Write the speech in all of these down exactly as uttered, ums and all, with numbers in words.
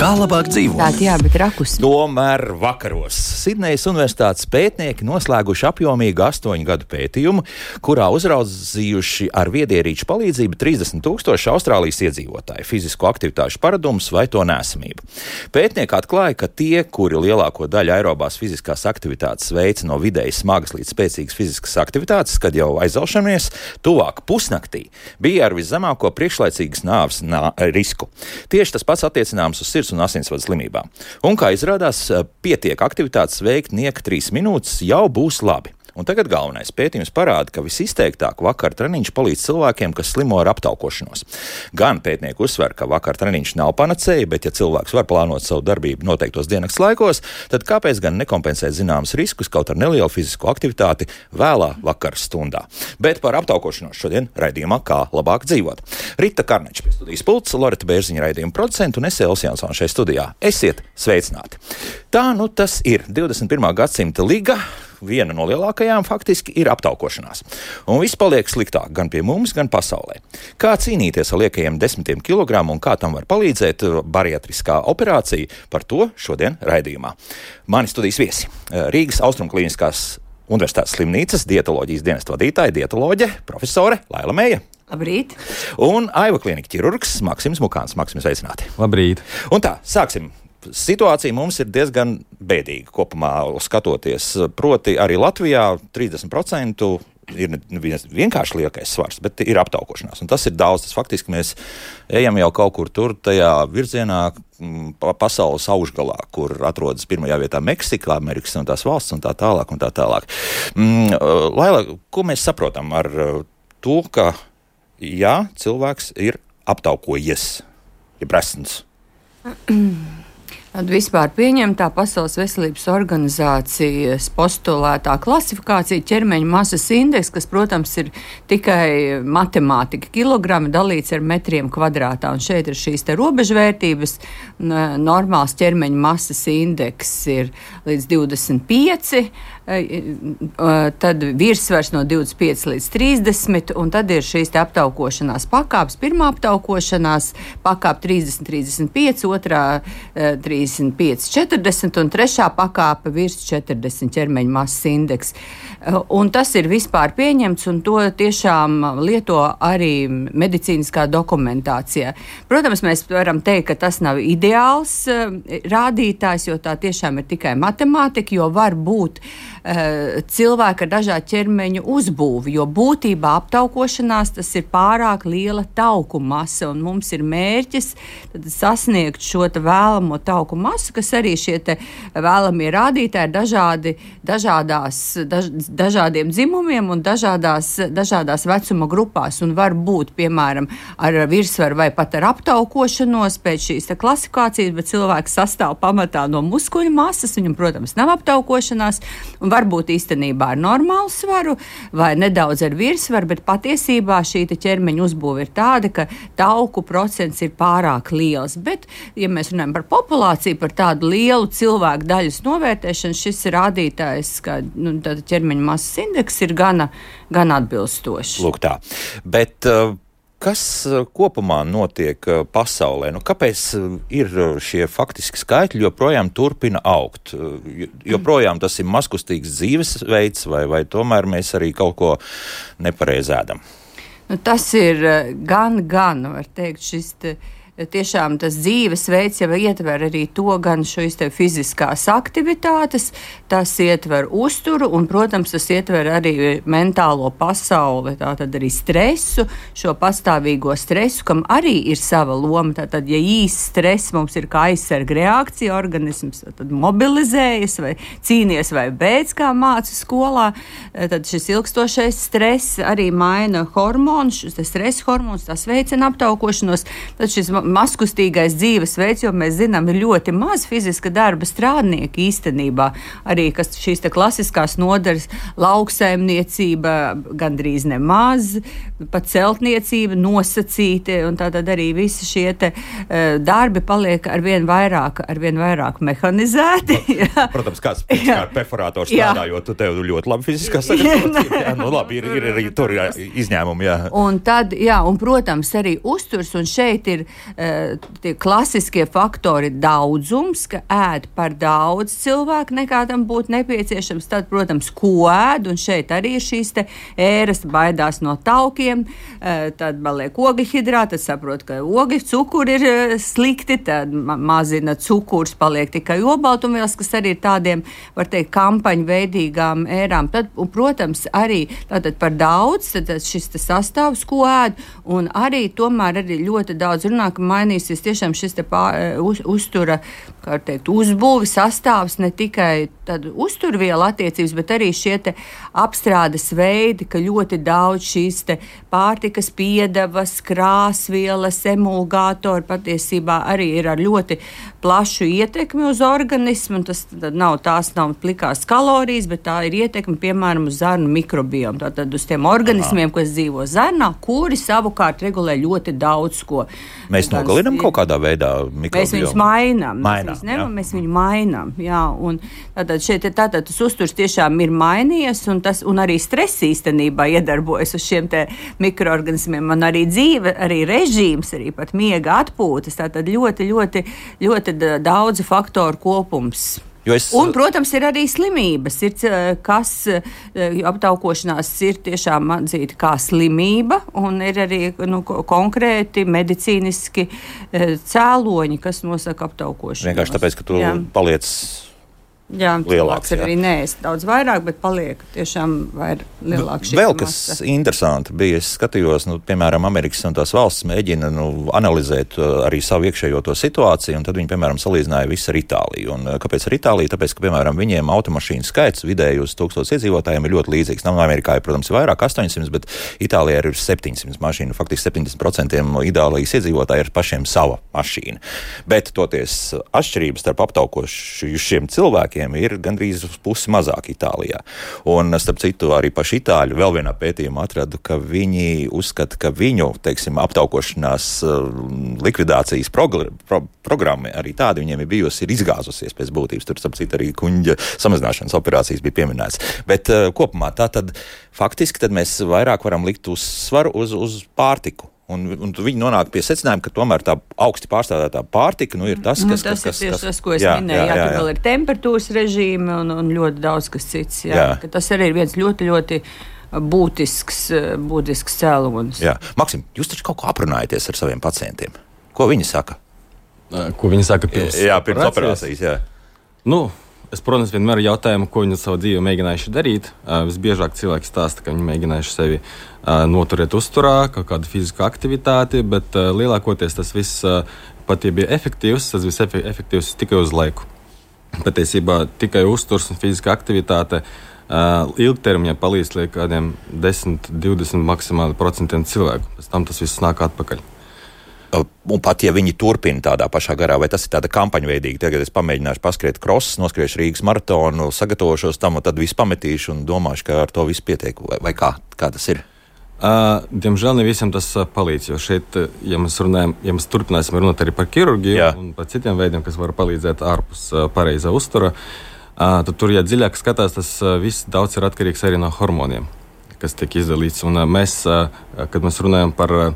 Kā labāk dzīvot? Tā, jā, bet rakus. Tomēr vakaros Sidnejas Universitātes pētnieki noslēguši apjomīgu astoņu gadu pētījumu, kurā uzraudzījuši ar viedierīču palīdzību trīsdesmit tūkstoši Austrālijas iedzīvotāju fizisko aktivitāšu paradumus vai to nesamību. Pētnieki atklāja, ka tie, kuri lielāko daļu aerobās fiziskās aktivitātes veica no vidēji smagas līdz spēcīgas fiziskas aktivitātes, kad jau aizelšamies, tuvāk pusnaktī, bija ar viszemāko priekšlaicīgas nāves nā, risku. Tieši tas pats attiecināms uz sirds un asinsvadu slimībām. Un, kā izrādās, pietiek aktivitātes veikt nieka trīs minūtes, jau būs labi. Un tagad galvenais pētījums parāda, ka visizteiktāk vakar treniņš palīdz cilvēkiem, kas slimo ar aptaukošanos. Gan pētnieki uzsver, ka vakar treniņš nav panacēja, bet ja cilvēks var plānot savu darbību noteiktos diennakts laikos, tad kāpēc gan nekompensēt zināmas riskus kaut ar nelielu fizisko aktivitāti vēlā vakara stundā. Bet par aptaukošanos šodien raidījumā Kā labāk dzīvot. Rita Karneča pie studijas pults, Loreta Bērziņa raidījuma producentu un es Elsa Jansona šeit studijā. Esiet sveicināti. Tā nu tas ir divdesmit pirmā gadsimta liga. Viena no lielākajām faktiski ir aptaukošanās. Un viss paliek sliktāk gan pie mums, gan pasaulē. Kā cīnīties ar liekajiem desmitiem kilogramu un kā tam var palīdzēt bariatriskā operācija, par to šodien raidījumā. Mani studijas viesi - Rīgas Austrumklīniskās Universitātes slimnīcas dietoloģijas dienesta vadītāja, dietoloģe, profesore Laila Meija. Labrīt. Un Aiva klīnika ķirurgs Maksims Mukāns. Maksims, sveicināti. Labrīt. Un tā, sāksim. Situācija mums ir diezgan bēdīga kopumā skatoties. Proti arī Latvijā trīsdesmit procenti ir vienkārši liekais svars, bet ir aptaukošanās. Un tas ir daudz. Tas faktiski mēs ejam jau kaut kur tur tajā virzienā pasaules augšgalā, kur atrodas pirmajā vietā Meksika, Amerikas un tās valsts un tā tālāk un tā tālāk. Mm, Laila, ko mēs saprotam ar to, ka jā, cilvēks ir aptaukojies, ir presns? Tad vispār pieņemtā Pasaules veselības organizācijas postulētā klasifikācija ķermeņa masas indeks, kas, protams, ir tikai matemātika, kilogrami dalīts ar metriem kvadrātā. Un šeit ir šīs te robežvērtības. Normāls ķermeņa masas indeks ir līdz divdesmit pieci, tad virsvars no divdesmit pieci līdz trīsdesmit, un tad ir šīs te aptaukošanās pakāpes. Pirmā aptaukošanās pakāpe trīsdesmit trīsdesmit pieci, otrā trīsdesmit pieci četrdesmit un trešā pakāpe virs četrdesmit ķermeņa masas indeks. Un tas ir vispār pieņemts, un to tiešām lieto arī medicīniskā dokumentācijā. Protams, mēs varam teikt, ka tas nav ideāls rādītājs, jo tā tiešām ir tikai matemātika, jo var būt uh, cilvēki ar dažādu ķermeņu uzbūvi, jo būtībā aptaukošanās tas ir pārāk liela tauku masa, un mums ir mērķis tad sasniegt šo te vēlamo tauku masu, kas arī šie te vēlamie rādītāji ir dažādi, dažādās, daž, dažādiem dzimumiem un dažādās, dažādās vecuma grupās, un var būt, piemēram, ar virsvaru vai pat ar aptaukošanos pēc šīs te klasifikācijas, bet cilvēks sastāv pamatā no muskuļu masas, viņam, protams, nav aptaukošanās, un varbūt īstenībā ar normālu svaru vai nedaudz ar virsvaru, bet patiesībā šī te ķermeņa uzbūve ir tāda, ka tauku procents ir pārāk liels. Bet, ja mēs runājam par populāciju, par tādu lielu cilvēku daļas novērtēšanu, šis rādītājs, ka nu, ķermeņa masas indeks ir gana, gana atbilstošs. Lūk tā. Bet uh, kas kopumā notiek pasaulē? Nu, kāpēc ir šie faktiski skaitļi joprojām turpina augt? Joprojām tas ir mazkustīgs dzīvesveids, vai, vai tomēr mēs arī kaut ko nepareizi ēdam? Nu, tas ir gan, gan, var teikt, šis te tiešām tas dzīvesveids jau ietver arī to gan šīs te fiziskās aktivitātes, tas ietver uzturu un, protams, tas ietver arī mentālo pasauli, tātad arī stresu, šo pastāvīgo stresu, kam arī ir sava loma. Tātad, ja īsts stress mums ir kā aizsarga reakcija, organisms tad mobilizējas vai cīnies vai beidz, kā māca skolā, tad šis ilgstošais stress arī maina hormonus, šis stresa hormonus, tas veicina aptaukošanos, tad šis maskustīgais dzīvesveids, jo mēs zinām, ir ļoti maz fiziska darba strādnieki īstenībā. Arī, kas šīs te klasiskās nodaļas, lauksaimniecība gandrīz nemaz, pat celtniecība nosacīti, un tātad arī visi šie te uh, darbi paliek arvien vairāk, arvien vairāk mehanizēti. Protams, kāds kā perforātors strādājot, tu tev ļoti labi fiziskā sagatavotība. Jā, nu labi, ir, ir arī tur jā, izņēmumi, jā. Un tad, jā, un protams, arī uzturs, un šeit ir tie klasiskie faktori daudzums, ka ēd par daudz cilvēku nekā tam būtu nepieciešams. Tad, protams, ko ēd, un šeit arī ir šīs te ēras, baidās no taukiem, tad paliek ogļhidrāti, tad saprot, ka ogļu cukuri ir slikti, tad mazina cukurs, paliek tikai obaltumvielas, kas arī ir tādiem, var teikt, kampaņu veidīgām ērām. Tad, un, protams, arī tātad par daudz, tad šis te sastāvs, ko ēd, un arī tomēr arī ļoti daudz runā, ka mainīsies tiešām šis te pār, uz, uztura, kā teikt, uzbūvi sastāvs, ne tikai tad uzturviela attiecības, bet arī šie te apstrādes veidi, ka ļoti daudz šīs te pārtikas piedevas, krāsvielas, emulgātori patiesībā arī ir ar ļoti plašu ietekmi uz organismu, un tas nav, tās nav plikās kalorijas, bet tā ir ietekme, piemēram, uz zarnu mikrobiomu, tātad uz tiem organismiem, kas dzīvo zarnā, kuri savukārt regulē ļoti daudz ko. Mēs nogalinām kaut kādā veidā mikrobiomu? Mēs viņus mainām. Mainām, mēs, nevam, mēs viņu mainām, jā. Un tātad šeit tātad tas uzturs tiešām ir mainījies, un, tas, un arī stress īstenībā iedarbojas uz šiem te mikroorganismiem, un arī dzīve, arī režīms, arī pat miega atpūtas, tātad ļoti, ļoti, ļoti daudz faktoru kopums. Es... Un, protams, ir arī slimības, ir, kas aptaukošanās ir tiešām atzīta kā slimība, un ir arī nu, konkrēti medicīniski cēloņi, kas nosaka aptaukošanos. Vienkārši tāpēc, ka tu jā. paliec jā, lielāks. Jā, arī neēst daudz vairāk, bet paliek tiešām vair, lielāks šī Vēl masa. kas interesanti bija, es skatījos, nu, piemēram, Amerikas un tās valsts mēģina nu, analizēt uh, arī savu iekšējo to situāciju, un tad viņi, piemēram, salīdzināja visu ar Itāliju. Un uh, kāpēc ar Itāliju? Tāpēc, ka, piemēram, viņiem automašīnu skaits vidēji uz tūkstotis iedzīvotājiem ir ļoti līdzīgs. Nav Amerikā, protams, ir vairāk astoņsimt, bet Itālijā ir septiņsimt mašīnu. Faktiski septiņdesmit procenti Itālijas iedzīvotāji ir pašiem sava mašīna. Bet toties atšķirības starp aptaukošiem cilvēkiem ir gandrīz uz pusi mazāk Itālijā. Un, starp citu, arī paši itāļi vēl vienā pētījumā atradu, ka viņi uzskata, ka viņu, teiksim, aptaukošanās likvidācijas progr- pro- programma arī tāda viņiem ir bijusi, ir izgāzusies pēc būtības. Tur, starp citu, arī kuņģa samazināšanas operācijas bija pieminēts. Bet uh, kopumā tā tad faktiski tad mēs vairāk varam likt uzsvaru uz, uz pārtiku. Un, un viņi nonāk pie secinājuma, ka tomēr tā augsti pārstrādātā pārtika nu, ir tas, kas... Nu, tas kas, ir tieši kas, tas, ko es jā, minēju. Jā, jā, jā, tur vēl ir temperatūras režīmi un, un ļoti daudz kas cits. Jā. Jā. Ka tas arī ir viens ļoti, ļoti būtisks, būtisks cēlonis. Jā. Maksim, jūs taču kaut ko aprunājaties ar saviem pacientiem. Ko viņi saka? Ko viņi saka pirms jā, pirms operācijas? Jā. Nu, es, protams, vienmēr jautājumu, ko viņi savu dzīvi mēģinājuši darīt. Uh, visbiežāk cilvēki stāsta, ka viņi mēģinājuši sevi uh, noturēt uzturā, kaut kādu fizisku aktivitāti, bet uh, lielākoties tas viss, uh, pat ja bija efektīvs, tas viss efektīvs tikai uz laiku. Patiesībā tikai uzturs un fiziska aktivitāte uh, ilgtermiņā palīdz līdz kādiem desmit, divdesmit maksimāli procentiem cilvēku. Pēc tam tas viss nāk atpakaļ. Un pat, ja viņi turpina tādā pašā garā, vai tas ir tāda kampaņa veidīga, tagad es pamēģināšu paskriet krosus, noskriešu Rīgas maratonu, sagatavošos tam un tad visu pametīšu un domāšu, ka ar to visu pietiek, vai, vai kā, kā tas ir? Uh, diemžēl ne visiem tas uh, palīdz, jo šeit, ja mēs runājam, ja mēs turpināsim runāt arī par ķirurģiju Jā. un par citiem veidiem, kas var palīdzēt ārpus uh, pareizā uztura, uh, tad tur, ja dziļāk skatās, tas uh, viss daudz ir atkarīgs arī no hormoniem, kas tiek izdalīts. Un uh, mēs, uh, kad mēs runājam par uh,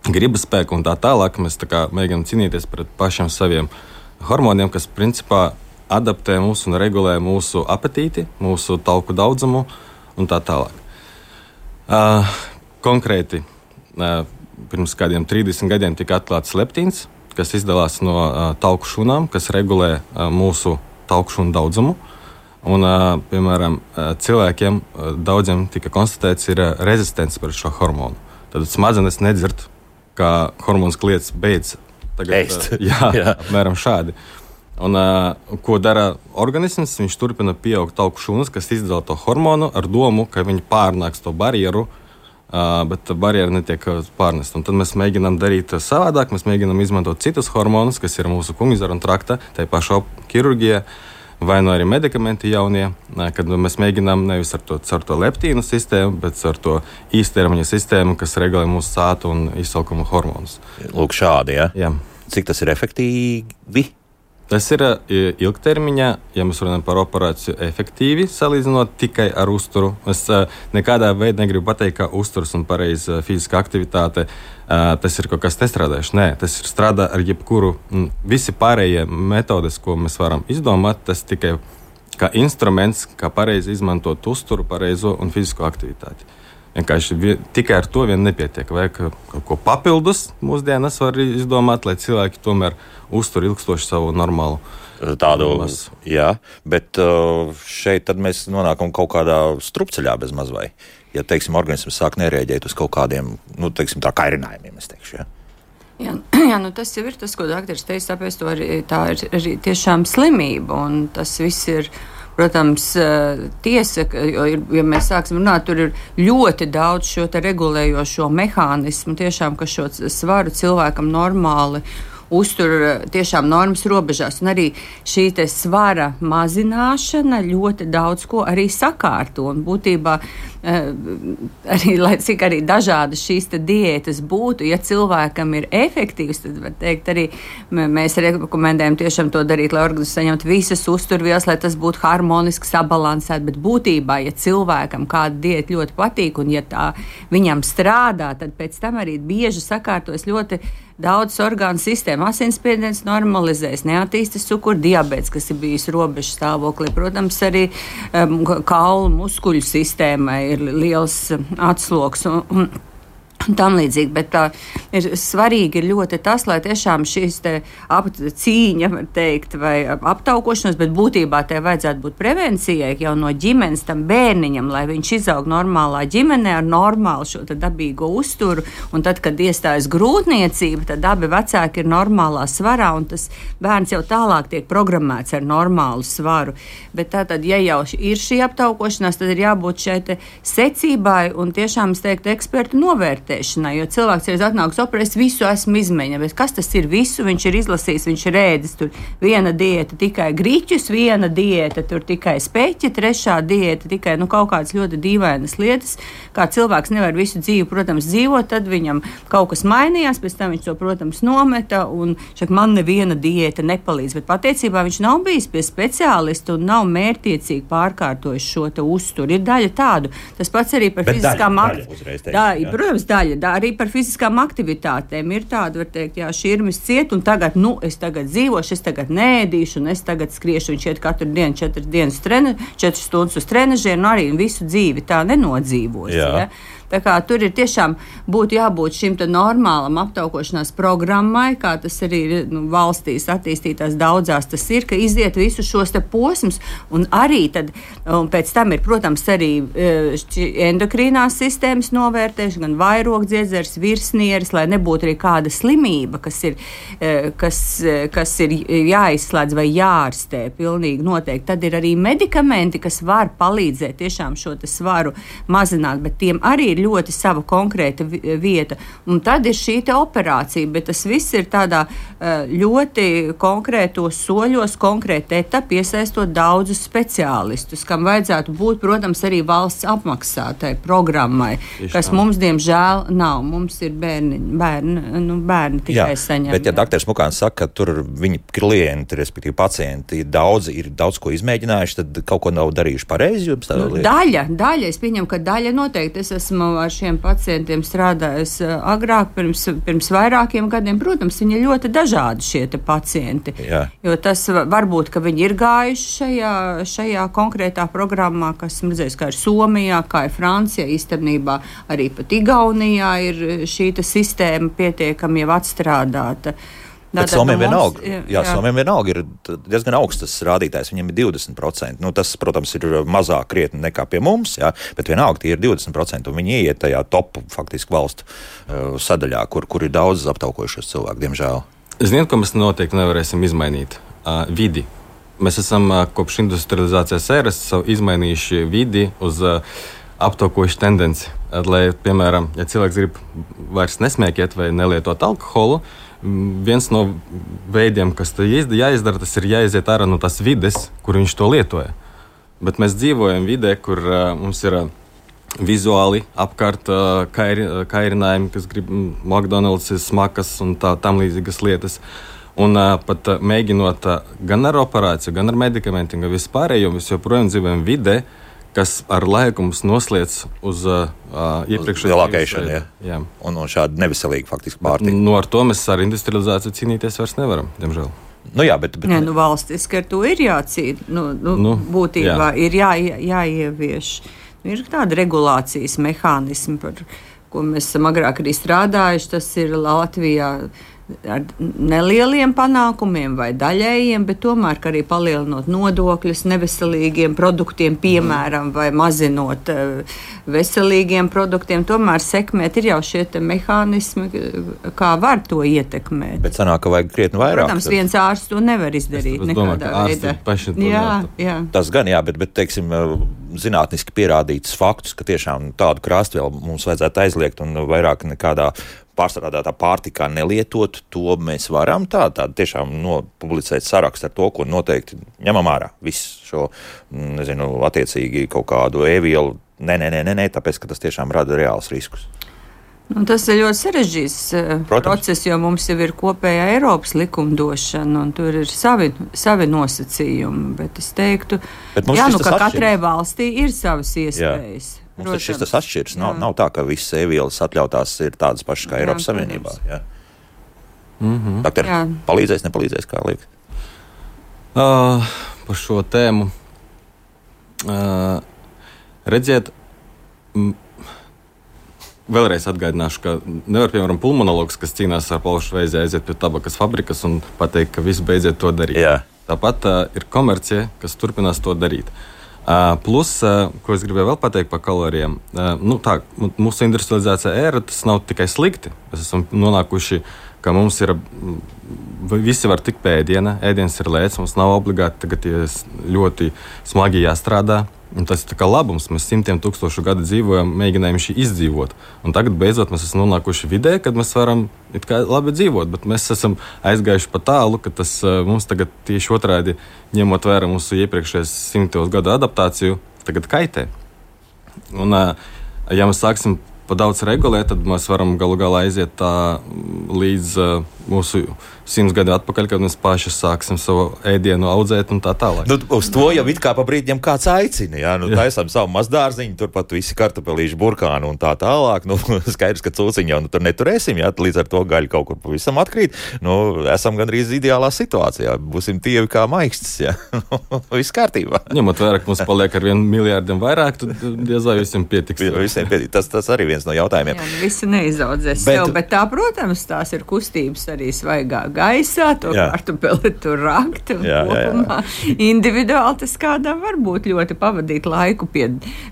gribas spēku un tā tālāk, mēs tā kā mēģinām cīnīties pret pašiem saviem hormoniem, kas principā adaptē mūsu un regulē mūsu apetīti, mūsu tauku daudzumu un tā tālāk. Uh, konkrēti, uh, pirms kādiem trīsdesmit gadiem tika atklāts leptīns, kas izdalās no uh, tauku šūnām, kas regulē uh, mūsu tauku šūnu daudzumu. Un, uh, piemēram, uh, cilvēkiem uh, daudziem tika konstatēts ir uh, rezistents pret šo hormonu. Tad smadzenes nedzird, kā hormons kliedz beidz tagad, uh, jā, jā. apmēram šādi. Un, uh, ko dara organisms? Viņš turpina pieaugt tauku šūnas, kas izdala to hormonu ar domu, ka viņi pārnāks to barjeru, uh, bet barjera netiek pārnest. Un tad mēs mēģinām darīt savādāk, mēs mēģinām izmantot citus hormonus, kas ir mūsu kumizara un trakta, tai pašā ķirurģija, vai no arī medikamenti jaunie, kad mēs mēģinām nevis ar to, ar to leptīnu sistēmu, bet ar to īstermiņa sistēmu, kas regulē mūsu sātu un izsalkuma hormonus. Lūk šādi, ja? Jā. Cik tas ir efektīvi? Tas ir ilgtermiņā, ja mēs runājam par operāciju efektīvi, salīdzinot tikai ar uzturu. Es nekādā veidā negribu pateikt, ka uzturs un pareiza fiziska aktivitāte tas ir kaut kas nestrādājuši. Nē, tas ir strādā ar jebkuru. Visi pārējie metodes, ko mēs varam izdomāt, tas tikai kā instruments, kā pareizi izmantot uzturu, pareizo un fizisko aktivitāti. Vienkārši tikai ar to vien nepietiek. Vajag kaut ko papildus mūsdienas var izdomāt, lai cilvēki tomēr uztur ilgstoši savu normālu tādu masu. Jā, bet šeit tad mēs nonākam kaut kādā strupceļā bez maz vai. Ja, teiksim, organisms sāk nereaģēt uz kaut kādiem, nu, teiksim, tā kairinājumiem, es teikšu, jā. Jā, jā, nu tas jau ir tas, ko doktors teica, tāpēc to arī, tā ir arī tiešām slimība, un tas viss ir, protams, tiesa, jo, ja mēs sāksim runāt, tur ir ļoti daudz šo te regulējošo mehānismu, tiešām, ka šo svaru cilvēkam normāli uztur tiešām normas robežās, un arī šī te svara mazināšana ļoti daudz ko arī sakārto, un būtībā arī, lai cik arī dažādas šīs te diētas būtu, ja cilvēkam ir efektīvs, tad var teikt arī, mēs rekomendējam tiešām to darīt, lai organisms saņemtu visas uzturvielas, lai tas būtu harmoniski sabalansēt, bet būtībā, ja cilvēkam kāda diēta ļoti patīk, un ja tā viņam strādā, tad pēc tam arī bieži sakārtojas ļoti daudz orgānu sistēmu, asinsspiediens normalizēs, neattīstas cukuru diabēts, kas ir bijis robežu stāvoklī. Protams, arī um, kaulu muskuļu sistēmai ir liels atsloks un, un, un tam līdzīgi, bet tā ir svarīgi ir ļoti tas, lai tiešām šīs te ap, cīņa, var teikt, vai aptaukošanos, bet būtībā te vajadzētu būt prevencijai jau no ģimenes tam bērniņam, lai viņš izaug normālā ģimenē ar normālu šo te dabīgo uzturu, un tad, kad iestājas grūtniecība, tad abi vecāki ir normālā svarā, un tas bērns jau tālāk tiek programmēts ar normālu svaru. Bet tātad, ja jau ir šī aptaukošanās, tad ir jābūt šai te secībai un tiešām, es teiktu, ekspertu novērtēšanai, jo cilvēks ir atnāks operē, es visu esmu izmēģinājis, bet kas tas ir visu? Viņš ir izlasījis, viņš ir ēdis tur viena diēta tikai griķus, viena diēta tur tikai speķi, trešā diēta tikai, nu, kaut kādas ļoti dīvainas lietas, kā cilvēks nevar visu dzīvi, protams, dzīvot, tad viņam kaut kas mainījās, pēc tam viņš to, protams, nometa, un šeit man neviena diēta nepalīdz, bet patiecībā viņš nav bijis pie speciālista un nav mērķtiecīgi pārkārtojis šo te uzturu. Ir daļa tādu, tas pats arī par bet fiziskām aktivitātēm. Protams, daļa, da, arī par fiziskām aktivitātēm ir tāda, var teikt, jā, širmis ciet, un tagad, nu, es tagad dzīvošu, es tagad nēdīšu, un es tagad skriešu, viņš iet katru dienu četras dienas, treni, četras stundas uz trenažiem, un arī visu dzīvi tā nenodzīvos. Jā. Ja? Tā kā tur ir tiešām būtu jābūt šim te normālam aptaukošanās programmai, kā tas arī ir, nu, valstīs attīstītās daudzās, tas ir, ka iziet visu šos te posmus, un arī tad, un pēc tam ir, protams, arī endokrīnās sistēmas novērtēšana, gan vairogdziedzers, virsnieris, lai nebūtu arī kāda slimība, kas ir, kas, kas ir jāizslēdz vai jārastē pilnīgi noteikti. Tad ir arī medikamenti, kas var palīdzēt tiešām šo te svaru mazināt, bet tiem arī ir ļoti sava konkrēta vieta. Un tad ir šī te operācija, bet tas viss ir tādā ļoti konkrētos soļos, konkrēta etapa, iesaistot daudzus speciālistus, kam vajadzētu būt, protams, arī valsts apmaksātai programmai, Tieši kas tā. Mums, diemžēl, nav. Mums ir bērni, bērni, nu, bērni tikai jā, saņem. Bet, ja doktors Mukāns saka, ka tur viņi klienti, respektīvi pacienti, daudzi ir daudz ko izmēģinājuši, tad kaut ko nav darījuši pareizi? Nu, daļa, daļa, es pieņemu, ka daļa noteikti. Es esmu ar šiem pacientiem strādājis agrāk, pirms, pirms vairākiem gadiem. Protams, viņi ir ļoti dažādi šie te pacienti. Jā. Jo tas varbūt, ka viņi ir gājuši šajā, šajā konkrētā programmā, kas redzēs, kā ir Somijā, kā ir Francijā, īstenībā arī pat Igaunijā ir šī te sistēma pietiekami jau atstrādāta. Bet Somijam vienalga, jā, jā, Somijam vienalga ir diezgan augstas rādītājs, viņiem ir divdesmit procenti. Nu, tas, protams, ir mazāk krietni nekā pie mums, jā, bet vienalga tie ir divdesmit procenti, un viņi ieiet tajā top faktiski valstu uh, sadaļā, kur, kur ir daudz aptaukojušos cilvēku, diemžēl. Ziniet, ko mēs noteikti nevarēsim izmainīt? Uh, vidi. Mēs esam uh, kopš industrializācijas ēras izmainījuši vidi uz uh, aptaukojuši tendenci. At, lai, piemēram, ja cilvēks grib vairs nesmēķēt vai nelietot alkoholu, viens no veidiem, kas jāizdara, tas ir jāiziet ārā no tās vides, kur viņš to lietoja. Bet mēs dzīvojam vidē, kur uh, mums ir uh, vizuāli apkārt uh, kairi, uh, kairinājumi, kas grib McDonald's, smakas un tā, tam līdzīgas lietas. Un uh, pat uh, mēģinot uh, gan ar operāciju, gan ar medikamentiem, gan vispārējo, mēs joprojām dzīvojam vidē, kas ar laiku mums noslēdz uz uh, iepriekšējo lielākaišanu. Jā. Jā. Un, un šādi neveselīgi faktiski pārtika. Nu, ar to mēs ar industrializāciju cīnīties vairs nevaram, diemžēl. Nu, jā, bet, bet... Nē, nu, valstiski ar to ir jācīn. Nu, nu, nu, būtībā jā. ir jā, jāievieš. Nu, ir tāda regulācijas mehānismi, par ko mēs esam agrāk arī strādājuši. Tas ir Latvijā ar nelieliem panākumiem vai daļējiem, bet tomēr arī palielinot nodokļus neveselīgiem produktiem, piemēram, vai mazinot veselīgiem produktiem, tomēr sekmēt ir jau šie mehānismi, kā var to ietekmēt. Bet sanāk, ka vajag krietni vairāk. Protams, viens ārsts to nevar izdarīt es, es nekādā domāju, veidā. Jā, jā. Tas gan jā, bet, bet teiksim, zinātniski pierādīts faktus, ka tiešām tādu krāstvielu mums vajadzētu aizliegt un vairāk nekādā pārstrādātā pārtikā nelietot, to mēs varam tā, tā tiešām nopublicēt sarakstu ar to, ko noteikti ņemam ārā. Visu šo, nezinu, attiecīgi kaut kādu e-vielu. Nē, nē, nē, nē, tāpēc, ka tas tiešām rada reāls riskus. Nu, tas ir ļoti sarežģīts Protams. process, jo mums jau ir kopējā Eiropas likumdošana, un tur ir savi, savi nosacījumi. Bet es teiktu, jā, nu, ka katrai valstī ir savas iespējas. Jā. Mums šis tas atšķirs. Nav, nav tā, ka visas e-vielas atļautās ir tādas pašas kā jā, Eiropas Savienībā. Jā. Mm-hmm. Doktor, palīdzēs, nepalīdzēs, kā liekas? Uh, par šo tēmu. Uh, redziet, m, vēlreiz atgādināšu, ka nevar, piemēram, pulmonologs, kas cīnās ar plaušu vēzi, aiziet pie tabakas fabrikas un pateikt, ka visi beidziet to darīt. Jā. Tāpat uh, ir komercija, kas turpinās to darīt. Uh, plus, uh, ko es gribēju vēl pateikt par kalorijām, uh, nu, tā, mūsu industrializācija ēra, tas nav tikai slikti. Mēs esam nonākuši, ka mums ir, visi var tikt pie ēdiena, ēdiens ir lēts, mums nav obligāti tagad ļoti smagi jāstrādā. Un tas ir kā labums, mēs simtiem tūkstošu gadu dzīvojam, mēģinājām šī izdzīvot. Un tagad beidzot mēs esam nonākuši vidē, kad mēs varam it kā labi dzīvot, bet mēs esam aizgājuši pa tālu, ka tas mums tagad tieši otrādi, ņemot vērā mūsu iepriekšējos simtos gadu adaptāciju, tagad kaitē. Un, ja mēs sāksim pa daudz regulēt, tad mēs varam galu galā aiziet tā līdz uh, mūsu simts gadu atpakaļ, kad mēs paši sāksim savu ēdienu audzēt un tā tālāk. Nu, uz to jau it kā pa brīdiem kāds aicina, jā, nu taisām savu mazdārziņu, turpat visi kartupelīši, burkāni un tā tālāk, nu skaidrs, ka cūciņu jau nu, tur neturēsim, jā, līdz ar to gaļu kaut kur pavisam atkrīt, nu esam gandrīz ideālā situācijā, būsim tievi kā maikstas, jā, viss kārtībā. Ņemot vērā, ka mums paliek ar vienu miljārdiem vairāk, tad diez vai visiem pietiks. Visiem pietiks, tas, tas arī viens no jautājumiem. Jā, visi neizaudzēs bet, sev, bet tā, protams, tās ir kustības arī svaigā gaisā, to kartupeli tur rakt un jā, kopumā jā, jā. Individuāli tas kādam var būt ļoti pavadīt laiku pie,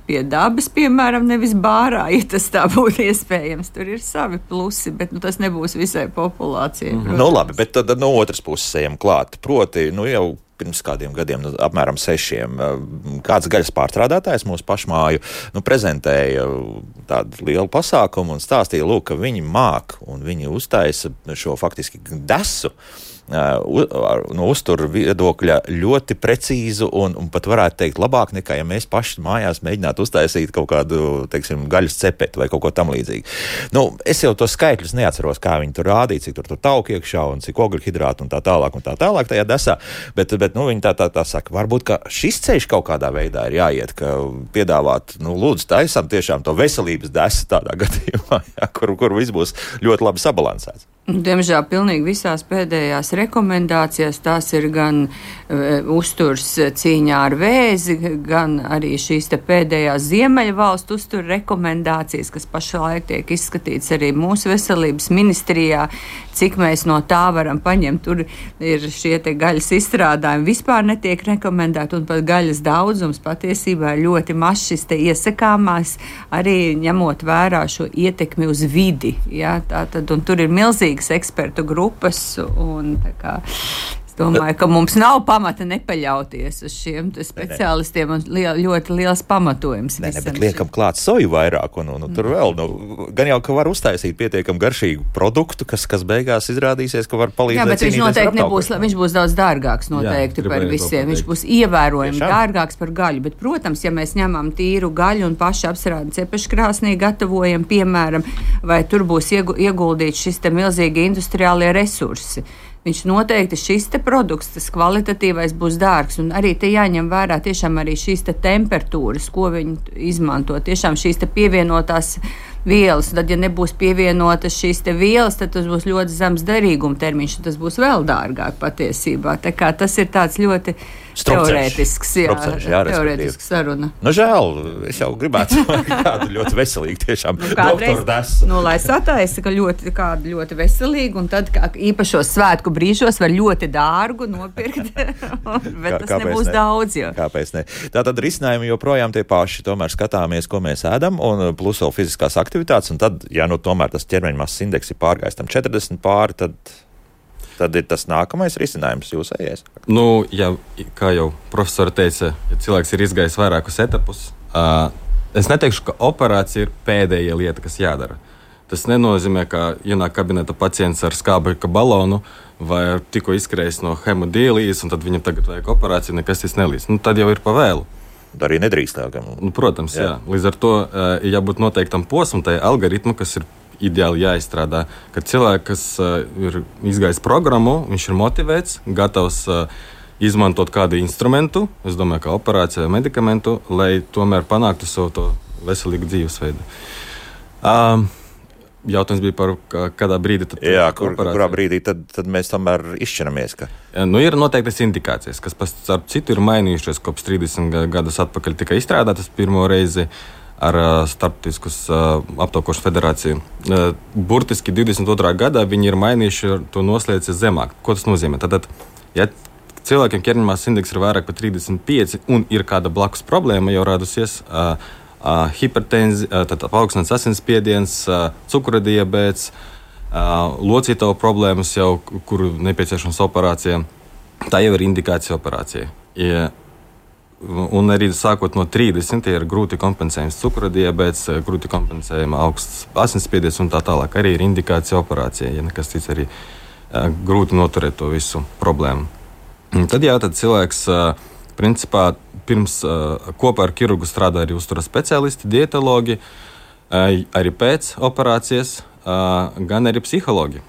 pie dabas, piemēram, nevis bārā, ja tas tā būtu iespējams. Tur ir savi plusi, bet nu, tas nebūs visai populācijai. Mm-hmm. Nu labi, bet tad no otras puses ejam klāt. Proti, nu jau pirms kādiem gadiem, nu, apmēram sešiem, kāds gaļas pārstrādātājs mūsu pašmāju nu, prezentēja tādu lielu pasākumu un stāstīja, lūk, ka viņi māk un viņi uztaisa šo faktiski desu no uzturu viedokļa ļoti precīzu un, un pat varētu teikt labāk nekā, ja mēs paši mājās mēģinātu uztaisīt kaut kādu, teiksim, gaļas cepeti vai kaut ko tam līdzīgi. Nu, es jau tos skaitļus neatceros, kā viņi tur rādīja, cik tur tur tauki iekšā un cik ogļhidrātu un tā tālāk un tā tālāk tajā desā, bet, bet nu, viņi tā, tā, tā saka, varbūt, ka šis ceļš kaut kādā veidā ir jāiet, ka piedāvāt, nu, lūdzu, taisam tiešām to veselības desu tādā gadījumā, jā, kur, kur viss būs ļoti labi sabalansēts. Diemžēl pilnīgi visās pēdējās rekomendācijās tās ir gan uh, uzturs cīņā ar vēzi, gan arī šīs te pēdējās Ziemeļvalstu uzturu rekomendācijas, kas pašlaik tiek izskatīts arī mūsu veselības ministrijā, cik mēs no tā varam paņemt. Tur ir šie te gaļas izstrādājumi vispār netiek rekomendēti, un pat gaļas daudzums patiesībā ir ļoti maz šis te iesakāmās, arī ņemot vērā šo ietekmi uz vidi. Ja, tātad, un tur ir milzīgi ekspertu grupas, un tā kā es domāju, ka mums nav pamata nepaļauties uz šiem speciālistiem, un liel, ļoti liels pamatojums. Nē, ne, bet liekam klāt soju vairāk, un, un, un tur vēl, nu, gan jau, ka var uztaisīt pietiekam garšīgu produktu, kas, kas beigās izrādīsies, ka var palīdzēt. Jā, bet viņš noteikti nebūs, viņš būs daudz dārgāks noteikti jā, par visiem, viņš būs ievērojami Tiešām? dārgāks par gaļu, bet, protams, ja mēs ņemam tīru gaļu un paši apsrādi cepeškrāsnī gatavojam, piemēram, vai tur būs ieguldīts šis te milzīgi industriālie resursi. viņš noteikti šis te produkts, tas kvalitatīvais būs dārgs. Un arī te jāņem vērā tiešām arī šīs te temperatūras, ko viņi izmanto. Tiešām šīs te pievienotās vielas. Tad, ja nebūs pievienotas šīs te vielas, tad tas būs ļoti zems derīguma termiņš, un tas būs vēl dārgāk patiesībā. Tā kā tas ir tāds ļoti teorētisks, jā, jā, teorētisks saruna. Nu, žēl, es jau gribētu kādu ļoti veselīgu, tiešām nu, doktoru desu. Nu, lai sataisa, ka ļoti, kādu ļoti veselīgu, un tad kā īpašos svētku brīžos var ļoti dārgu nopirkt, bet Kā, tas nebūs ne? daudz. Jo. Kāpēc ne? Tātad risinājumi joprojām tie paši, tomēr skatāmies, ko mēs ēdam, un plus vēl fiziskās aktivitātes, un tad, ja nu tomēr tas ķermeņa masas indeks ir pārgājis tam četrdesmit pāri, tad... Tad ir tas nākamais risinājums jūsējais. Nu, ja, kā jau profesori teica, ja cilvēks ir izgājis vairākus etapus, uh, es neteikšu, ka operācija ir pēdējā lieta, kas jādara. Tas nenozīmē, ka ienāk kabineta pacients ar skābekļa balonu vai ar tikko izskrējis no hemodialīzes, un tad viņam tagad vajag operāciju, nekas tas nelīdz. Nu, tad jau ir pa vēlu. Arī nedrīkst. Nu, protams, jā. jā. Līdz ar to uh, jābūt noteiktam posmam, tai algoritmu, kas ir ideāli jāizstrādā, kad cilvēks, kas uh, ir izgājis programmu, viņš ir motivēts, gatavs uh, izmantot kādu instrumentu, es domāju, kā operāciju vai medikamentu, lai tomēr panāktu savu to veselīgu dzīvesveidu. Uh, jautājums bija par kādā brīdī. Tad Jā, kur, kurā brīdī tad, tad mēs tomēr izšķiramies? Ka... Nu, ir noteiktas indikācijas, kas pēc citu ir mainījušies kopš trīsdesmit gadus atpakaļ tika izstrādātas pirmo reizi ar uh, Starptautiskas uh, aptaukošanas federāciju. Uh, burtiski divdesmit otrā gadā viņi ir mainījuši to noslēdzi zemāk. Ko tas nozīmē? Tātad, ja cilvēkiem ķermeņa masas indeks ir vairāk par trīsdesmit pieci un ir kāda blakus problēma jau radusies, uh, uh, hipertenzija, uh, tad paaugstināts asinsspiediens, uh, cukura diabēts, uh, locītavu problēmas jau, kuru nepieciešams operācija, tā jau ir indikācija operācijai. Ja, Un arī sākot no trīsdesmit ir grūti kompensējams cukura diabēts, grūti kompensējama augsts asinsspiediens un tā tālāk. Arī ir indikācija operācijai, ja nekas cits arī uh, grūti noturēt to visu problēmu. Un tad jā, tad cilvēks uh, principā pirms uh, kopā ar ķirurgu strādā arī uzturas speciālisti, dietologi, uh, arī pēc operācijas, uh, gan arī psihologi.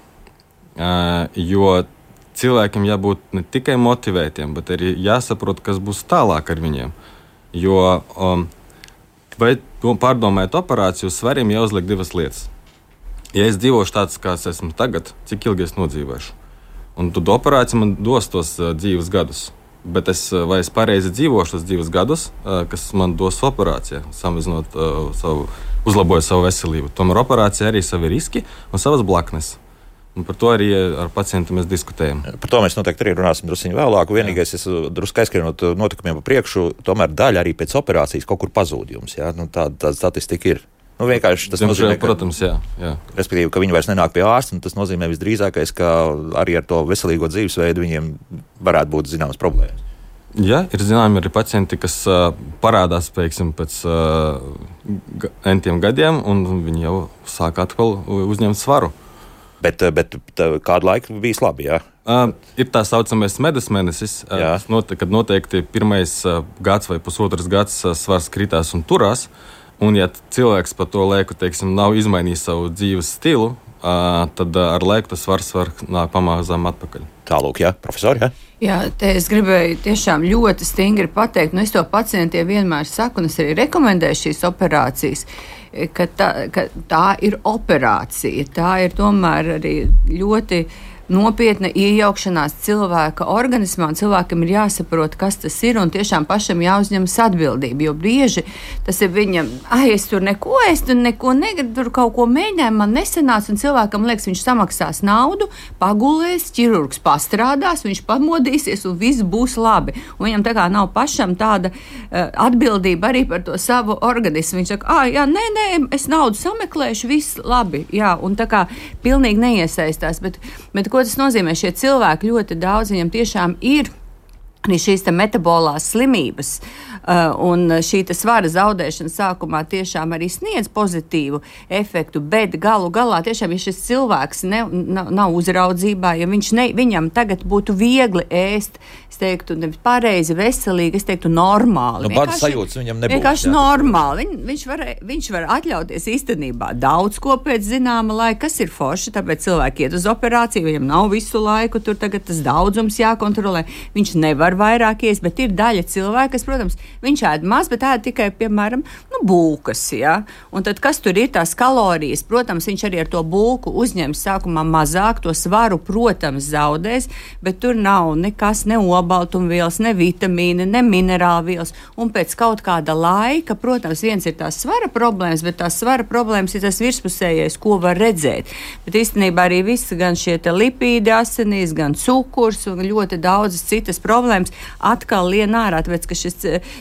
Uh, jo cilvēkiem jābūt ne tikai motivētiem, bet arī jāsaprot, kas būs tālāk ar viņiem. Jo, um, vai pārdomājot operāciju, svariem jāuzliek divas lietas. Ja es dzīvošu tāds, kāds esmu tagad, cik ilgi es nodzīvošu? Un tad operācija man dos tos uh, dzīves gadus. Bet es, vai es pareizi dzīvošu tos dzīves gadus, uh, kas man dos operācija, samazinot uh, savu, uzlabojot savu veselību. Tomēr operācija arī savi riski un savas blaknes. Un par to arī ar pacientu mēs diskutējam. Par to mēs noteikti arī runāsim drusku vēlāk. Vienīgais, es drusku aizskrienot notikumiem pa priekšu, tomēr daļa arī pēc operācijas kaut kur pazūd jums. Ja? Nu, tā, tā statistika ir. Nu, vienkārši tas Diemžēl, nozīmē, ka, protams, jā, jā. respektīvi, ka viņi vairs nenāk pie ārsta, un tas nozīmē visdrīzākais, ka arī ar to veselīgo dzīvesveidu viņiem varētu būt zināmas problēmas. Jā, ir zināmi arī pacienti, kas uh, parādās, teiksim, pēc uh, entiem gadiem, un viņi jau sāk atkal uzņemt svaru. Bet, bet tā, kādu laiku bijis labi, jā? Uh, ir tā saucamais medus mēnesis, uh, note, kad noteikti pirmais uh, gads vai pusotras gads uh, svars kritās un turās. Un, ja cilvēks pa to laiku, teiksim, nav izmainījis savu dzīves stilu, uh, tad uh, ar laiku tas svars var nāk pamazām atpakaļ. Tālūk, jā, profesori, jā? Jā, te es gribēju tiešām ļoti stingri pateikt, nu es to pacientiem vienmēr saku, un es arī rekomendēju šīs operācijas, ka tā, ka tā ir operācija, tā ir tomēr arī ļoti nopietna iejaukšanās cilvēka organismā, un cilvēkam ir jāsaprot, kas tas ir, un tiešām pašam jāuzņemas atbildība, jo brieži tas ir viņam, ai, es tur neko, es tur neko negribu, tur kaut ko mēģināju, man nesanāca, un cilvēkam liekas, viņš samaksās naudu, pagulēs, ķirurgs pastrādās, viņš pamodīsies, un viss būs labi. Un viņam tā kā nav pašam tāda uh, atbildība arī par to savu organismu. Viņš saka, ah, jā, nē, nē, es naudu sameklēšu, viss labi, jā, un tā kā pilnīgi neiesaistās, bet, bet ko tas nozīmē? Šie cilvēki ļoti daudz, viņam tiešām ir arī šīs metabolās slimības uh, un šī svara zaudēšana sākumā tiešām arī sniedz pozitīvu efektu, bet galu galā tiešām, ja šis cilvēks ne, nav, nav uzraudzībā, ja viņš ne, viņam tagad būtu viegli ēst, es teiktu, nevis pareizi, veselīgi, es teiktu, normāli. Nu, bādas sajūtas viņam nebūs. Vienkārši normāli. Viņ, viņš, var, viņš var atļauties īstenībā daudz ko pēc zināma laika, kas ir forši, tāpēc cilvēki iet uz operāciju, viņam nav visu laiku, tur tagad tas daudzums jākontrolē. Viņš nevar vairāk ies, bet ir daļa cilvēka, kas, protams, viņš ēd maz, bet ēd tikai, piemēram, nu, bulkas, ja? Un tad, kas tur ir tās kalorijas? Protams, viņš arī ar to bulku uzņems sākumā mazāk, to svaru, protams, zaudēs, bet tur nav nekas, ne obaltumvielas, ne vitamīni, ne minerālvielas, un pēc kaut kāda laika, protams, viens ir tās svara problēmas, bet tās svara problēmas ir tas virspusējais, ko var redzēt. Bet īstenībā arī viss, gan šie te lipīdi asinīs, gan cukurs un ļoti daudzas citas problēmas atkal lien ārā, tāpēc, ka šis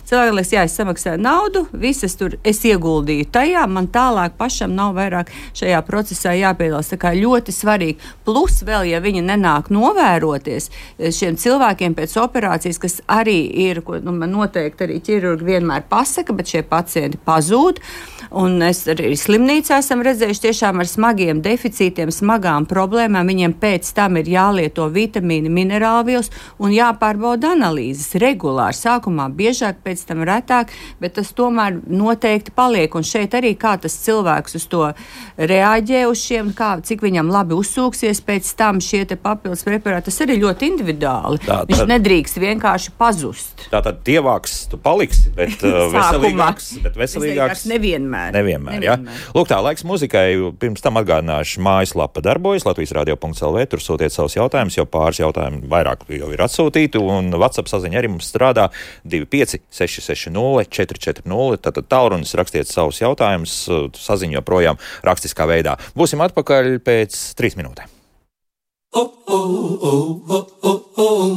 cilvēks, jā, es samaksāju naudu, visas tur es ieguldīju tajā, man tālāk pašam nav vairāk šajā procesā jāpiedalās. Tā kā ļoti svarīgi. Plus vēl, ja viņi nenāk novēroties šiem cilvēkiem pēc operācijas, kas arī ir, ko nu, man noteikti arī ķirurgi vienmēr pasaka, bet šie pacienti pazūd. Un es arī slimnīcā esam redzējuši tiešām ar smagiem deficītiem, smagām problēmām. Viņiem pēc tam ir jālieto vitamīni, minerālvielas un jāpārbauda analīzes regulāri. Sākumā biežāk, pēc tam retāk, bet tas tomēr noteikti paliek. Un šeit arī kā tas cilvēks uz to reaģē uz šiem, kā, cik viņam labi uzsūksies pēc tam šie te papildus preparāti. Tas arī ļoti individuāli. Tā, tad, viņš nedrīkst vienkārši pazust. Tātad tievāks tu paliksi, bet uh, veselīgāks, bet veselīgāks nevienmēr. Nevienmēr, jā. Lūk, tā, laiks muzikai. Pirms tam atgādināšu, mājaslapa darbojas, latvijas radio punkts el vē, tur sūtiet savus jautājumus, jo pāris jautājumu vairāk jau ir atsūtīti, un WhatsApp saziņa arī mums strādā divi pieci seši seši nulle četri četri nulle, tātad tālrunis, rakstiet savus jautājumus, saziņu joprojām rakstiskā veidā. Būsim atpakaļ pēc trīs minūtēm.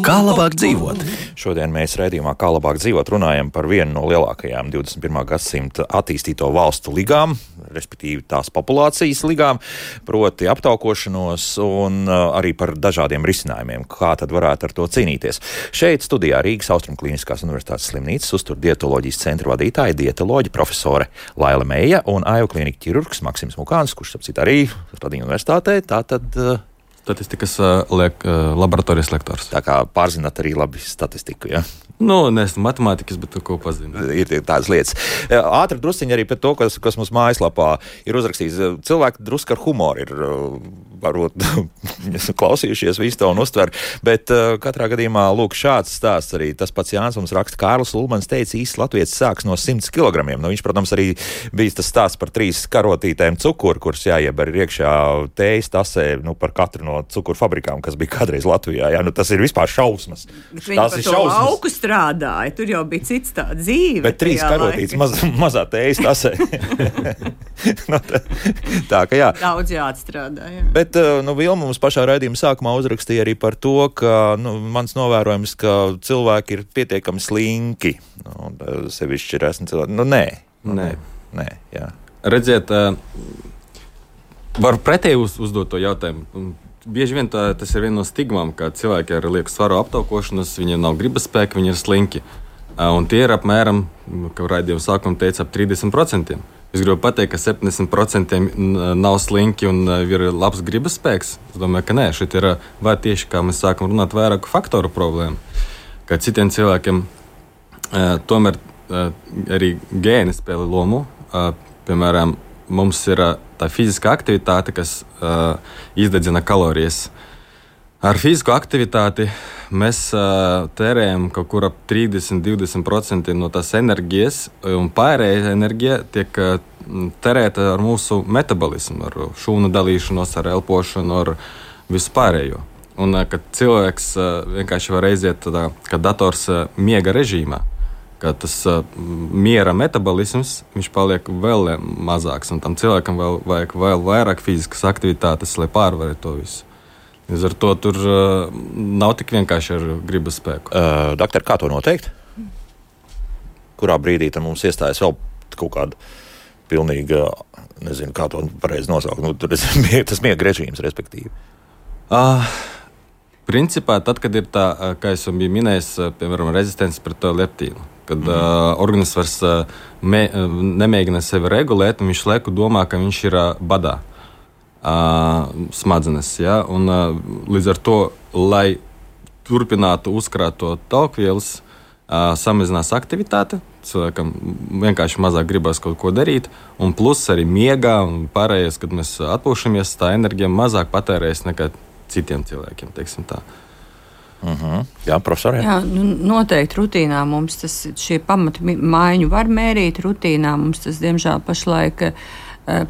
Kā labāk dzīvot? Šodien mēs raidījumā Kā labāk dzīvot runājam par vienu no lielākajām divdesmit pirmā gadsimta attīstīto valstu ligām, respektīvi tās populācijas ligām, proti aptaukošanos un arī par dažādiem risinājumiem, kā tad varētu ar to cīnīties. Šeit studijā Rīgas Austrumklīniskās universitātes slimnīcas uztur dietoloģijas centra vadītāja, dietoloģa profesore Laila Meija un A I U klīnika ķirurgs Maksims Mukāns, kurš apcīt arī Radiņu universitātē, tātad Statistikas uh, liek, uh, laboratorijas lektors. Tā kā pārzināt arī labi statistiku, ja? Nu, neesmu matemātikas, bet ko pazinu. Ir tādas lietas. Ātri drusciņi arī par to, kas, kas mums mājaslapā ir uzrakstīts. Cilvēki druski ar humoru ir varbūt klausījušies visu to un uztver, bet uh, katrā gadījumā, lūk, šāds stāsts arī. Tas pats Jānis mums raksta, Kārlis Ulmans teica, īsts latvietis sāks no simts kilogramiem. Nu, viņš, protams, arī bija tas stāsts par trīs karotītēm cukuru, kurus jāieber iekšā tējas tasē, nu, par katru no cukuru fabrikām, kas bija kādreiz Latvijā. Jā, nu, tas ir vispār šausmas. Tas ir šausmas. Strādāja. Tur jau bija cits tā dzīve. Bet trīs karotītes maz, mazā tējas tasē. no, tā, tā, ka jā. Daudz jāatstrādā, jā. Bet, nu, Vilma mums pašā raidījuma sākumā uzrakstīja arī par to, ka, nu, mans novērojums, ka cilvēki ir pietiekami slinki. Nu, sevišķi ir esmu cilvēki. Nu, nē. Nē. Nē, jā. Redziet, var pretēji uz, uzdot to jautājumu. Bieži vien tā, tas ir viena no stigmām, ka cilvēki ar lieku svaru aptaukošanas, viņiem nav gribas spēka, viņi ir slinki. Un tie ir apmēram, kā raidījuma sākumā teica, ap trīsdesmit procentiem. Es gribu pateikt, ka septiņdesmit procentiem nav slinki un ir labs gribas spēks. Es domāju, ka nē, šeit ir vai tieši, kā mēs sākam runāt, vairāku faktoru problēmu. Ka citiem cilvēkiem tomēr arī gēni spēlē lomu. Piemēram, mums ir tā fiziskā aktivitāte, kas uh, izdedzina kalorijas. Ar fizisko aktivitāti mēs uh, tērējam kaut kur ap trīsdesmit līdz divdesmit procenti no tās enerģijas, un pārējā enerģija tiek uh, tērēta ar mūsu metabolismu, ar šūnu dalīšanos, ar elpošanu, ar visu pārējo. Un uh, kad cilvēks uh, vienkārši var aiziet tādā, kā dators uh, miega režīmā, ka tas uh, miera metabolisms, viņš paliek vēl mazāks, un tam cilvēkam vēl vajag vēl vairāk fiziskas aktivitātes, lai pārvarētu to visu. Līdz ar to tur uh, nav tik vienkārši ar gribas spēku. Uh, doktor, kā to noteikt? Kurā brīdī tam mums iestājas vēl kaut kāda pilnīga, nezinu, kā to pareizi nosaukt, nu, tur tas miega režīms, respektīvi? Uh, Principā, tad, kad ir tā, kā es jau biju minējis, piemēram, rezistence pret to leptīnu, kad mm. uh, organisms vairs uh, me, uh, nemēģina sevi regulēt, un viņš laiku domā, ka viņš ir uh, badā uh, smadzenes. Ja? Un, uh, līdz ar to, lai turpinātu uzkrāt to talkvielas, uh, samazinās aktivitāte, cilvēkam vienkārši mazāk gribas kaut ko darīt, un plus arī miegā un pārējais, kad mēs atpūšamies, tā enerģija mazāk patērējas nekā citiem cilvēkiem, teiksim tā. Uh-huh. Jā, profesori. Jā, nu, noteikti rutīnā mums tas, šie pamata maiņu var mērīt, rutīnā mums tas, diemžēl, pašlaik,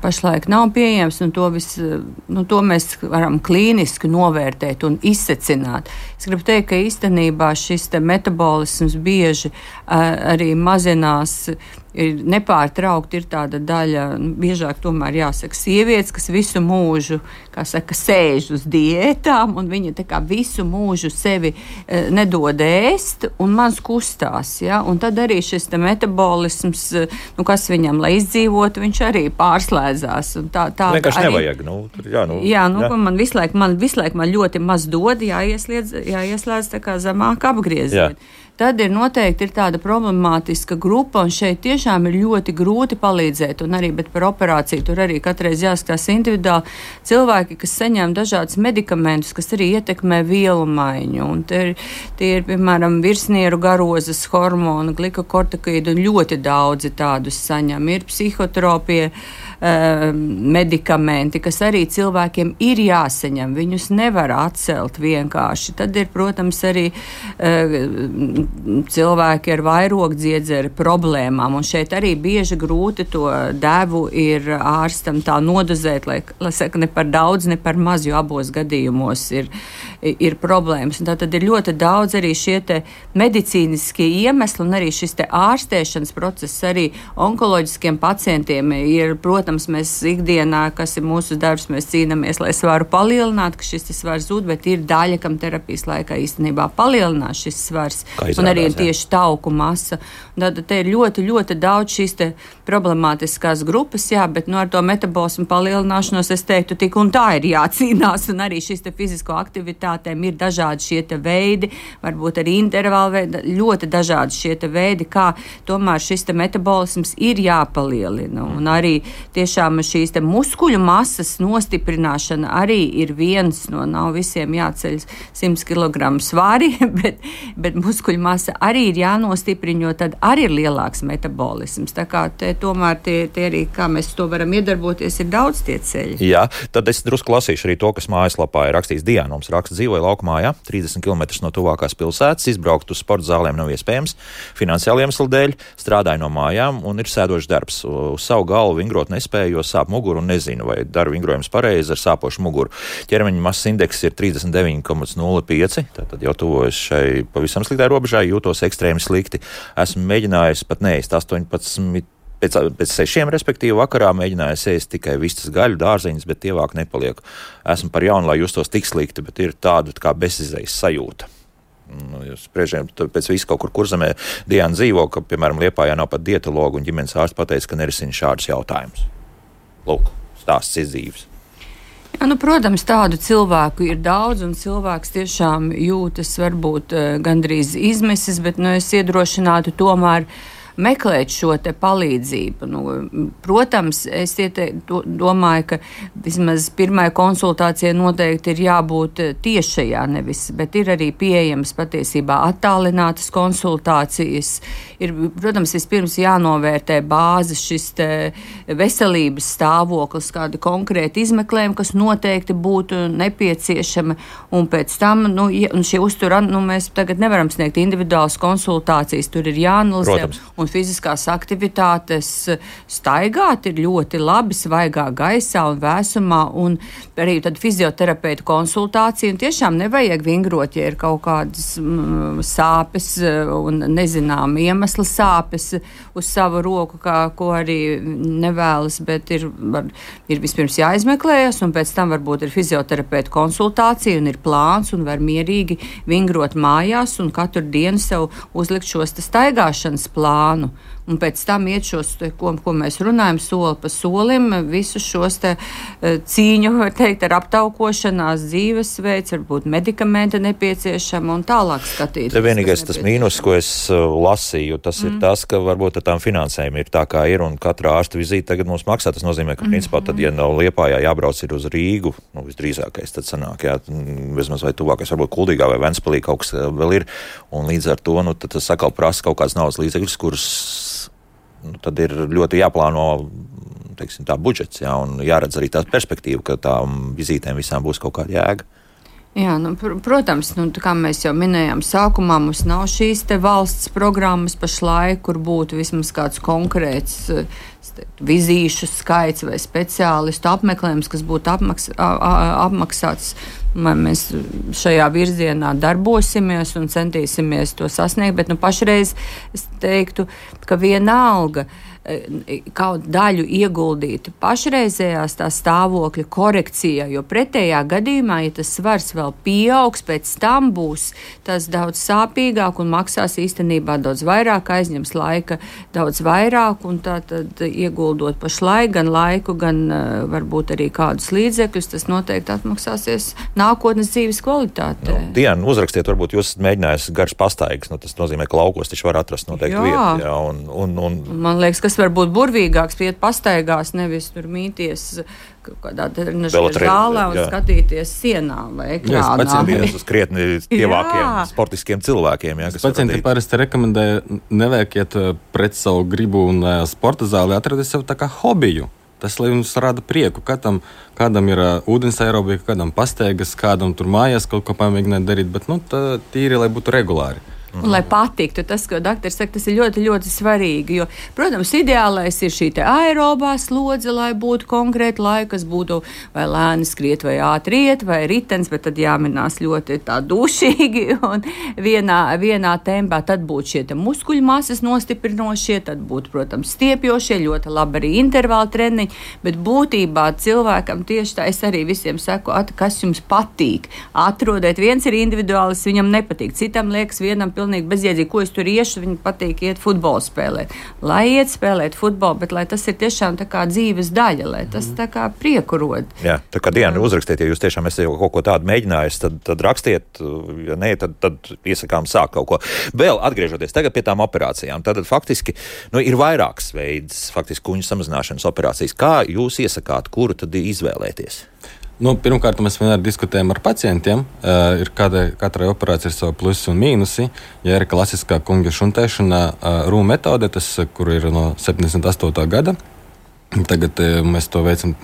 pašlaik nav pieejams, un to, vis, nu, to mēs varam klīniski novērtēt un izsecināt. Es gribu teikt, ka īstenībā šis te metabolisms bieži arī mazinās, ir nepārtraukti ir tāda daļa, nu, biežāk tomēr jāsaka sievietes, kas visu mūžu, kā saka, sēž uz diētām, un viņa tā kā visu mūžu sevi e, nedod ēst, un maz kustās, ja, un tad arī šis te metabolisms, nu, kas viņam, lai izdzīvotu, viņš arī pārslēdzās, un tā, tā vienkārši arī, nevajag, nu, jā, nu, jā, nu, jā. man visu laiku, man visu laiku man ļoti maz dod, jāieslēdz, jāieslēdz tā kā zemāk apgrieziet. Tad ir noteikti ir tāda problemātiska grupa, un šeit tiešām ir ļoti grūti palīdzēt, un arī, bet par operāciju tur arī katreiz jāskatās individuāli. Cilvēki, kas saņem dažādus medikamentus, kas arī ietekmē vielu maiņu, un tie ir, tie ir piemēram, virsnieru garozes hormonu, glikokortikoīdu, un ļoti daudzi tādus saņem. Ir psihotropie uh, medikamenti, kas arī cilvēkiem ir jāsaņem, viņus nevar atcelt vienkārši. Tad ir, protams, arī uh, cilvēki ar vairogdziedzera problēmām, un šeit arī bieži grūti to devu ir ārstam tā nodozēt, lai, lai saka, ne par daudz, ne par maz, jo abos gadījumos ir, ir problēmas. Un tā tad ir ļoti daudz arī šie te medicīniskie iemesli, un arī šis te ārstēšanas process arī onkoloģiskiem pacientiem ir, protams, mēs ikdienā, kas ir mūsu darbs, mēs cīnāmies, lai svaru palielināt, ka šis svars zūd, bet ir daļa, kam terapijas laikā īstenībā palielinās šis svars. Un arī ir tieši tauku masa. Tad te ir ļoti, ļoti daudz šīs te problemātiskās grupas, jā, bet nu, ar to metabolismu palielināšanos es teiktu, tik un tā ir jācīnās, un arī šīs te fizisko aktivitātēm ir dažādi šie te veidi, varbūt arī intervāli veidi, ļoti dažādi šie te veidi, kā tomēr šis te metabolisms ir jāpalielina. Un arī tiešām šīs te muskuļu masas nostiprināšana arī ir viens no, nav visiem jāceļ simts kilogramu svari, bet, bet muskuļu masa arī ir jānostiprina, jo tad arī ir lielāks metabolisms. Tā kā te tomēr tie, tie arī, kā mēs to varam iedarboties, ir daudz tie ceļi. Jā, tad es drusku lasīšu arī to, kas mājaslapā ir rakstījis Diana. Mums raksta, dzīvoja laukumājā, trīsdesmit kilometrus no tuvākās pilsētas, izbraukt uz sporta zālēm nav iespējams, finansiāli iemeslu dēļ, strādāju no mājām un ir sēdošs darbs. Uz savu galvu vingrot nespēju, jo sāp muguru un nezinu, vai daru vingrojums pareizi ar sāpošu muguru. Ķermeņa masas indeks ir trīsdesmit deviņi komats nulle pieci, tātad jau tuvojas šai pavisam sliktai robežai, jūtos ekstrēmi slikti. Esmu mēģinājis pat neēst astoņpadsmit, pēc, pēc sešiem, respektīvi vakarā mēģinājis ēst tikai vistas gaļu, dārzeņus, bet tievāk nepaliek. Esmu par jaunu, lai justos tik slikti, bet ir tāda kā bezizējas sajūta. Nu, spriežiem, pēc visu kaut kur Kurzemē Diana dzīvo, ka, piemēram, Liepājā nav pat dietologu, un ģimenes ārsts pateica, ka nerisina šādus jautājumus. Lūk, stāsts izdzīves. Jā, nu, protams, tādu cilvēku ir daudz, un cilvēks tiešām jūtas varbūt gandrīz izmisis, bet nu, es iedrošinātu tomēr meklēt šo te palīdzību. Nu, protams, es iete, do, domāju, ka vismaz pirmai konsultācijai noteikti ir jābūt tiešajā nevis, bet ir arī pieejams patiesībā attālinātas konsultācijas. Ir, protams, vispirms jānovērtē bāzes šis te veselības stāvoklis, kādi konkrēti izmeklējumi, kas noteikti būtu nepieciešami, un pēc tam, nu, un šie uztura, nu, mēs tagad nevaram sniegt individuālas konsultācijas, tur ir jāanalizē. Protams. Un fiziskās aktivitātes staigāt ir ļoti labi svaigā gaisā un vēsumā, un arī tad fizioterapeitu konsultācija, un tiešām nevajag vingrot, ja ir kaut kādas mm, sāpes un nezinām iemesla sāpes uz savu roku, kā, ko arī nevēlas, bet ir, var, ir vispirms jāizmeklējas, un pēc tam varbūt ir fizioterapeitu konsultācija, un ir plāns, un var mierīgi vingrot mājās, un katru dienu sev uzlikt šos staigāšanas plānu. un pēc tam iet šos, ko, ko mēs runājam, soli pa solim, visus šos te cīņu, var teikt, ar aptaukošanās dzīvesveids, varbūt medikamenti nepieciešami un tālāk skatīt. Te vienīgais tas mīnus, ko es lasīju, tas mm. ir tas, ka varbūt ar tām finansēm ir tā, kā ir, un katra ārsta vizīte tagad mums maksā. Tas nozīmē, ka principā tad, ja nav Liepājā jābrauc ir uz Rīgu, nu, visdrīzākais tad sanāk, jā, vismaz vai tuvākais, varbūt Kuldīgā vai Ventspilī kaut kas vēl ir, un līdz ar to, nu, tad tas sakal prasa kaut kāds naudas līdzekļus, kurus, nu, tad ir ļoti jāplāno, teiksim, tā budžets, jā, un jāredz arī tā perspektīva, ka tām vizītēm visām būs kaut kāda jēga. Jā, nu, pr- protams, nu, kā mēs jau minējām sākumā, mums nav šīs te valsts programmas pašlaik, kur būtu vismaz kāds konkrēts teiktu, vizīšu skaits vai speciālistu apmeklējums, kas būtu apmaks, a, a, apmaksāts. Mēs šajā virzienā darbosimies un centīsimies to sasniegt, bet nu, pašreiz es teiktu, ka vienalga kaut daļu ieguldīt pašreizējās tā stāvokļa korekcijā, jo pretējā gadījumā, ja tas svars vēl pieaugs, pēc tam būs tas daudz sāpīgāk un maksās īstenībā daudz vairāk, aizņems laika daudz vairāk, un tā tad ieguldot pašlaik gan laiku, gan uh, varbūt arī kādus līdzekļus, tas noteikti atmaksāsies nākotnes dzīves kvalitātē. Nu, Diana, uzrakstiet, varbūt jūs esat mēģinājis garas pastaigas, nu, tas nozīmē, ka laukos taču var atrast noteikti vietu. Jā, un, un, un... Man liekas, kas var būt burvīgāks, iet pastaigās, nevis tur mīties kādā zālē un jā. Skatīties sienā vai ekrānā. Pacientiem uz krietni tievākiem sportiskiem cilvēkiem. Jā, pacienti parasti rekomendē nevēkiet pret savu gribu un sporta zāli atradīt sev tā kā hobiju. Tas, lai jums rada prieku, kādam, kādam ir uh, ūdens aerobika, kādam pastaigas, kādam tur mājās kaut ko pamēģināt darīt, bet nu, tā tīri, lai būtu regulāri. Un, lai patiktu, tas, ko doktori saka, tas ir ļoti, ļoti svarīgi, jo, protams, ideālais ir šī te aerobā slodze, lai būtu konkrēti laika, kas būtu vai lēni skriet, vai ātri iet, vai ritens, bet tad jāminās ļoti tā dušīgi un vienā, vienā tempā, tad būtu šie te muskuļu masas nostiprinošie, tad būtu, protams, stiepjošie, ļoti labi arī intervāli treniņi, bet būtībā cilvēkam tieši tā, es arī visiem saku, at, kas jums patīk, atrodiet, viens ir individuālis, viņam nepatīk, citam liekas vienam pilnīgi bezjēdzīgi, ko es tur iešu, viņi patīk iet futbolu spēlēt. Lai iet spēlēt futbolu, bet lai tas ir tiešām tā kā dzīves daļa, lai tas tā kā prieku rod. Jā, tā kā Diana uzrakstiet, ja jūs tiešām esat jau kaut ko tādu mēģinājis, tad, tad rakstiet, ja nē, tad, tad iesakām sākt kaut ko. Vēl atgriežoties tagad pie tām operācijām, tad faktiski, nu, ir vairākas veids, faktiski kuņu samazināšanas operācijas. Kā jūs iesakāt, kuru tad izvēlēties? Nu, pirmkārt, mēs vienmēr diskutējam ar pacientiem. Uh, ir kāda, katrai operācijai ir savi plusi un mīnusi. Ja ir klasiskā kunga šuntēšana, uh, rūmu metode, tas, kur ir no septiņdesmit astotā gada. Tagad uh, mēs to veicam,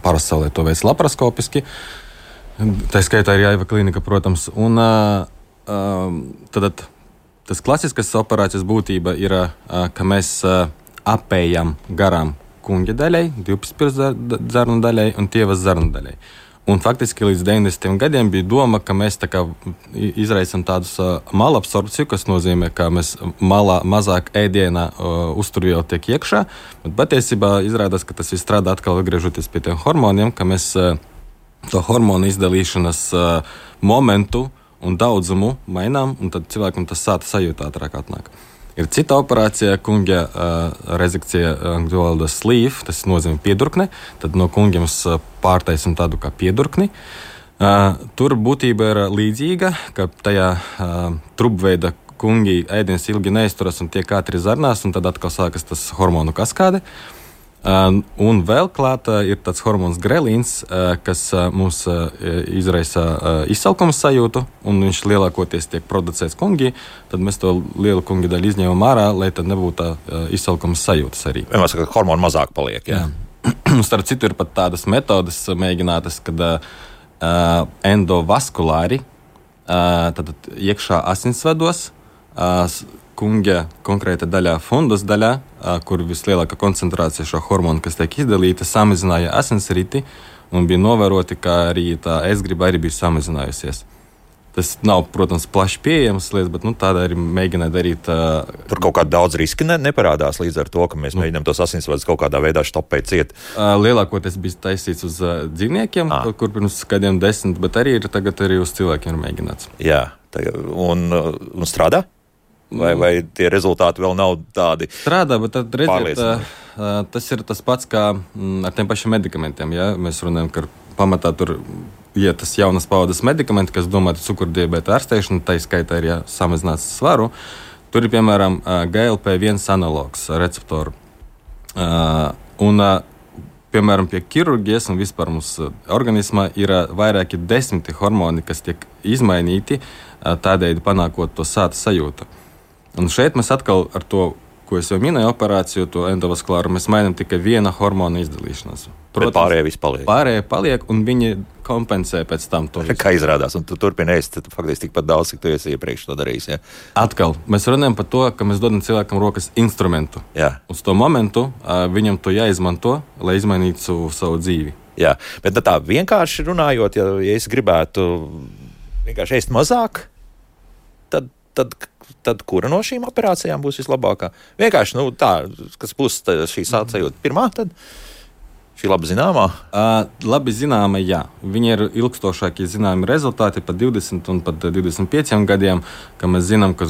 pasaulē to veic laparoskopiski. Tā skaitā ir Jāiva klinika, protams. Un uh, uh, tad tas klasiskas operācijas būtība ir, uh, ka mēs uh, apējam garām kunga daļai, divpaspirts zarnu daļai un tievas zarnu daļai. Un faktiski līdz deviņdesmitiem gadiem bija doma, ka mēs tā kā izraisam tādus uh, malabsorpciju, kas nozīmē, ka mēs malā mazāk ēdienā uh, uzturviela tiek iekšā, bet patiesībā izrādās, ka tas viss strādā atkal atgriežoties pie tiem hormoniem, ka mēs uh, to hormonu izdalīšanas uh, momentu un daudzumu mainām, un tad cilvēkam tas sāta sajūta ātrāk atnāk. Ir cita operācija, kunga uh, rezekcija angļu valodā sleeve, tas nozīmē piedurkne, tad no kungiem pārtaisim tādu kā piedurkni. Uh, tur būtība ir līdzīga, ka tajā uh, trubveida kungi ēdienas ilgi neizturas un tiek ātri zarnās, un tad atkal sākas tas hormonu kaskāde. Uh, un vēl klāta ir tāds hormons grelīns, uh, kas uh, mums uh, izraisa uh, izsalkuma sajūtu, un viņš lielākoties tiek producēts kungi, tad mēs to lielu kungi daļu izņemam ārā, lai tad nebūtu tā uh, izsalkuma sajūtas arī. Vienmēr saka, ka hormoni mazāk paliek, jā. jā. Starp citu ir pat tādas metodas mēģinātas, kad uh, endovaskulāri, uh, tad iekšā asinsvados, uh, kunga konkrēta daļā, fundus daļā, kur vislielākā koncentrācija šo hormonu, kas tiek izdalīta, samazināja asinsriti, un bija novēroti, ka arī tā ēstgriba arī bija samazinājusies. Tas nav, protams, plaši pieejams lietas, bet nu, tāda arī mēģināja darīt. Uh, Tur kaut kāda daudz riski ne, neparādās līdz ar to, ka mēs nu, mēģinām tos asinsvadus kaut kādā veidā štopēt ciet. Uh, lielākoties bija taisīts uz uh, dzīvniekiem, ah. kur pirms kādiem desmit, bet arī ir tagad arī uz cilvēkiem ir mēģināts. Jā, tagad, un, un strādā? Vai, vai tie rezultāti vēl nav tādi? Strādā, bet tad redziet, tas ir tas pats kā ar tiem pašiem medikamentiem. Ja? Mēs runājam, ka pamatā tur ir tas jaunas paudzes medikamenti, kas domāti cukurdiabēta ārstēšana, tā skaitā ir jāsamazinās svaru. Tur ir, piemēram, G L P viens analogs receptoru. Un, piemēram, pie ķirurģijas un vispār mums organismā ir vairāki desmiti hormoni, kas tiek izmainīti, tādēļ panākot to sāta sajūtu. Un šeit mēs atkal ar to, ko es jau minēju, operāciju, to endovaskulāru, mēs mainām tikai viena hormona izdalīšanos. Protams, pārējie viss paliek. Pārējie paliek, un viņi kompensē pēc tam to visu. Kā izrādās, un tu turpini ēst faktiski tikpat daudz, cik tu esi iepriekš to darījis. Ja? Atkal, mēs runājam par to, ka mēs dodam cilvēkam rokas instrumentu. Jā. Uz to momentu viņam to jāizmanto, lai izmainītu savu dzīvi. Jā, bet tā vienkārši runājot, ja, ja es gribētu vienkārši ēst mazāk, tad, tad, tad kura no šīm operācijām būs vislabākā? Vienkārši, nu tā, kas būs šī sāta sajūta pirmā, tad šī labi zināmā? Uh, labi zināma, jā. Viņi ir ilgstošākie zināmi rezultāti pat divdesmit un pat divdesmit pieciem gadiem, ka mēs zinām, ka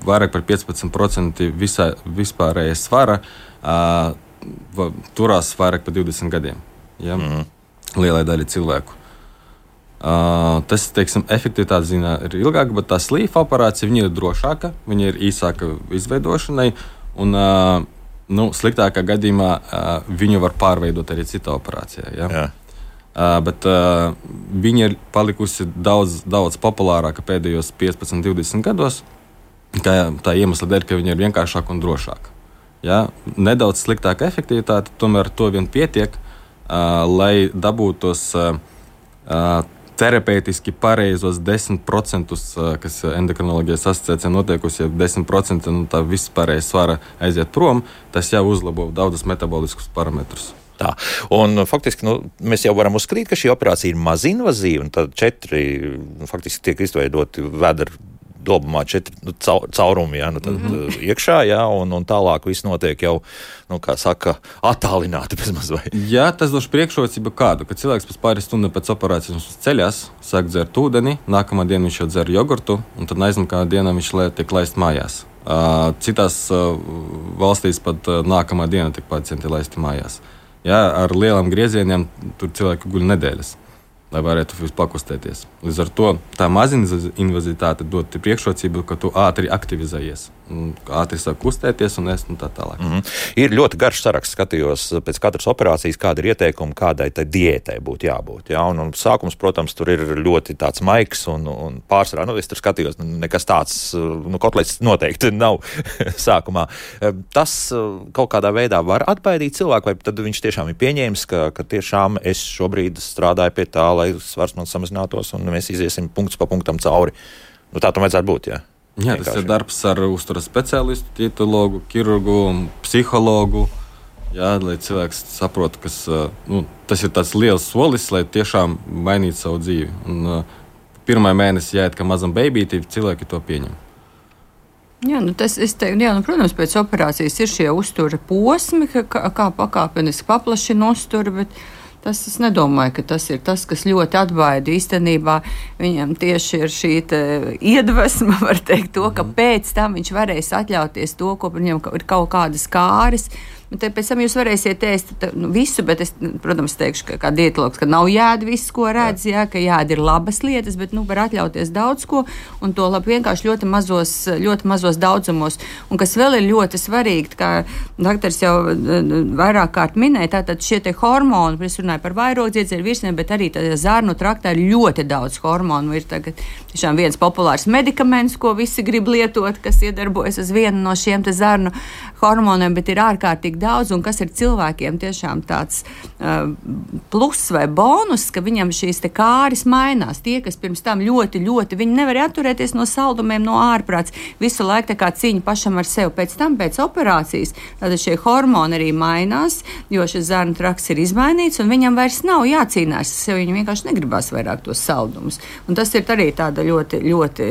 vairāk par piecpadsmit procenti visā, vispārējais svara uh, turās vairāk par divdesmit gadiem. Ja? Mm. Lielai daļai cilvēku. Uh, tas, teiksim, efektivitāte ziņā ir ilgāka, bet tā slīfa operācija viņa ir drošāka, viņa ir īsāka izveidošanai, un uh, nu, sliktākā gadījumā uh, viņu var pārveidot arī citā operācijā. Ja? Jā. Uh, bet uh, viņa ir palikusi daudz, daudz populārāka pēdējos piecpadsmit, divdesmit gados, kā tā iemesla dēļ, ka viņa ir vienkāršāka un drošāka. Ja? Nedaudz sliktāka efektivitāte, tomēr to vien pietiek, uh, lai dabūtos uh, uh, terapeitiski pareizos desmit procentus, kas endokrinoloģijas asociācijā notiekusi, ja desmit procenti no tā vispārējais svara aiziet prom, tas jau uzlabo daudzus metaboliskus parametrus. Tā. Un faktiski nu, mēs jau varam uzskatīt, ka šī operācija ir mazinvazīva, un tad četri faktiski tiek izveidoti vedra dobumā četri nu, caurumi, ja, nu, tad mm-hmm. iekšā, ja, un, un tālāk viss notiek jau, nu, kā saka, attālināti bezmaz vai. Jā, tas došu priekšrocību kādu, ka cilvēks pēc pāris stundām pēc operācijas ceļās, sāk dzert ūdeni, nākamā diena viņš jau dzer jogurtu, un tad nākamā dienā viņš tiek laist mājās. Uh, citās uh, valstīs pat uh, nākamā diena tiek pacienti laisti mājās. Jā, ar lielām griezieniem tur cilvēki guļ nedēļas, lai varētu pakustēties. Līdz ar to tā mazinvazitāte dod priekšrocību, ka tu ātri aktivizējies, ātri sāk kustēties un ēst un tā tālāk. Mm-hmm. Ir ļoti garš saraksts, skatījos pēc katras operācijas, kāda ir ieteikuma, kādai tai diētai būtu jābūt. Ja? Un, un sākums, protams, tur ir ļoti tāds maigs un, un pārsvarā, nu, es tur skatījos, nekas tāds, nu, kotlets noteikti nav sākumā. Tas kaut kādā veidā var atbaidīt cilvēku, vai tad viņš tiešām ir pieņēmis, ka, ka tiešām es šobrīd strādāju pie tā, lai svars man samazinātos un mēs iziesim punkts pa punktam cauri. Nu, tā tam vajadzētu būt, jā. Jā, tas ir darbs ar uzturas speciālistu, dietologu, ķirurgu, psihologu, jā, lai cilvēks saprot, kas, nu, tas ir tāds liels solis, lai tiešām mainītu savu dzīvi. Un pirmā mēnesi jāiet kā mazam beibīti, cilvēki to pieņem. Jā, nu tas, es teiktu, jā, nu, protams, pēc operācijas ir šie uztura posmi, kā, kā pakāpeniski paplašina uzturu, bet tas es nedomāju, ka tas ir tas, kas ļoti atbaida. Īstenībā viņam tieši ir šī iedvesma, var teikt, to, ka pēc tam viņš varēs atļauties to, ko viņam ir kaut kādas kāres. Bet pēc tam jūs varēsiet ēst nu, visu, bet es, protams, teikšu, ka kā dietologs, ka nav jāēd viss, ko redz, jā, ka jāēd ir labas lietas, bet nu, var atļauties daudz ko, un to labi vienkārši ļoti mazos, ļoti mazos daudzumos. Un kas vēl ir ļoti svarīgi, kā doktors jau vairāk kārt minēja, tātad šie te hormoni, es runāju par vairogdziedzēju virsniem, bet arī zarnu traktā ir ļoti daudz hormonu. Ir tagad tiešām viens populārs medikaments, ko visi grib lietot, kas iedarbojas uz vienu no šiem te zarnu hormoniem, bet ir ārkārtīgi daudz, un kas ir cilvēkiem tiešām tāds uh, plus vai bonus, ka viņam šīs te kāris mainās. Tie, kas pirms tam ļoti, ļoti, viņi nevar atturēties no saldumiem, no ārprāts, visu laiku tā kā cīņa pašam ar sevi. Pēc tam, pēc operācijas, tad šie hormoni arī mainās, jo šis zarnu trakts ir izmainīts, un viņam vairs nav jācīnās ar sevi, viņam vienkārši negribās vairāk tos saldumus. Un tas ir arī tāda ļoti, ļoti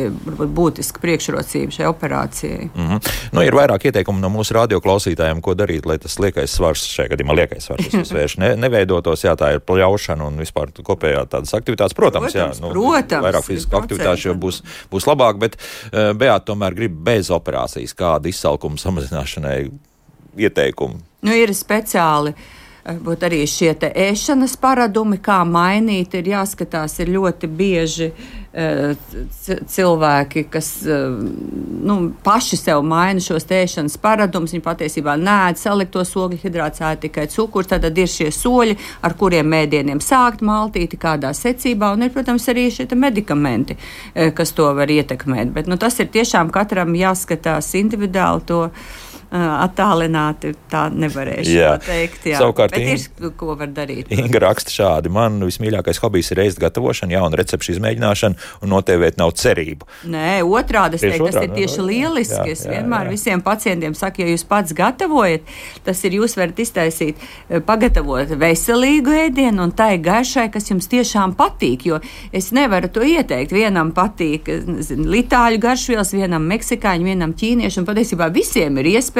būtiska priekšrocība šai operācijai. Mm-hmm. Nu, ir vairāk ieteikumu no mūsu radioklausītājiem, ko darīt, lai tas liekais svars, šajā gadījumā liekais svars, es uzsvēršu, ne, neveidotos, jā, tā ir pļaušana un vispār kopējā tādas aktivitātes. Protams, protams, jā, nu, protams, vairāk fizisku aktivitāšu jau būs, būs labāk, bet uh, Beāta tomēr grib bez operācijas kādu izsalkumu samazināšanai ieteikumu. Nu, ir speciāli. Būt arī šie te ēšanas paradumi, kā mainīt, ir jāskatās, ir ļoti bieži uh, cilvēki, kas uh, nu, paši sev maina šos ēšanas paradumus, viņi patiesībā neēd saliktos ogļu hidrātus, ēd tikai cukurs, tad ir šie soļi, ar kuriem mēdieniem sākt maltīti, kādā secībā, un ir, protams, arī šie medikamenti, uh, kas to var ietekmēt, bet nu, tas ir tiešām katram jāskatās individuāli to. Attālināti tā nevarēšu jā. Pateikt. Jā. Savukārt, bet ir, ko var darīt. Inga raksta šādi. Man vismīļākais hobijs ir ēst gatavošana, jauna recepšu izmēģināšana un notēvēt nav cerību. Nē, otrādi es teiktu, tas ir tieši no, lieliski. Jā, es jā, vienmēr jā. visiem pacientiem saku, ja jūs pats gatavojat, tas ir jūs varat iztaisīt, pagatavot veselīgu ēdienu un tai garšai, kas jums tiešām patīk, jo es nevaru to ieteikt. Vienam patīk zin, litāļu garšvielas, vienam meksikāņu, vienam ķīniešu, un patiesībā visiem ir iespēja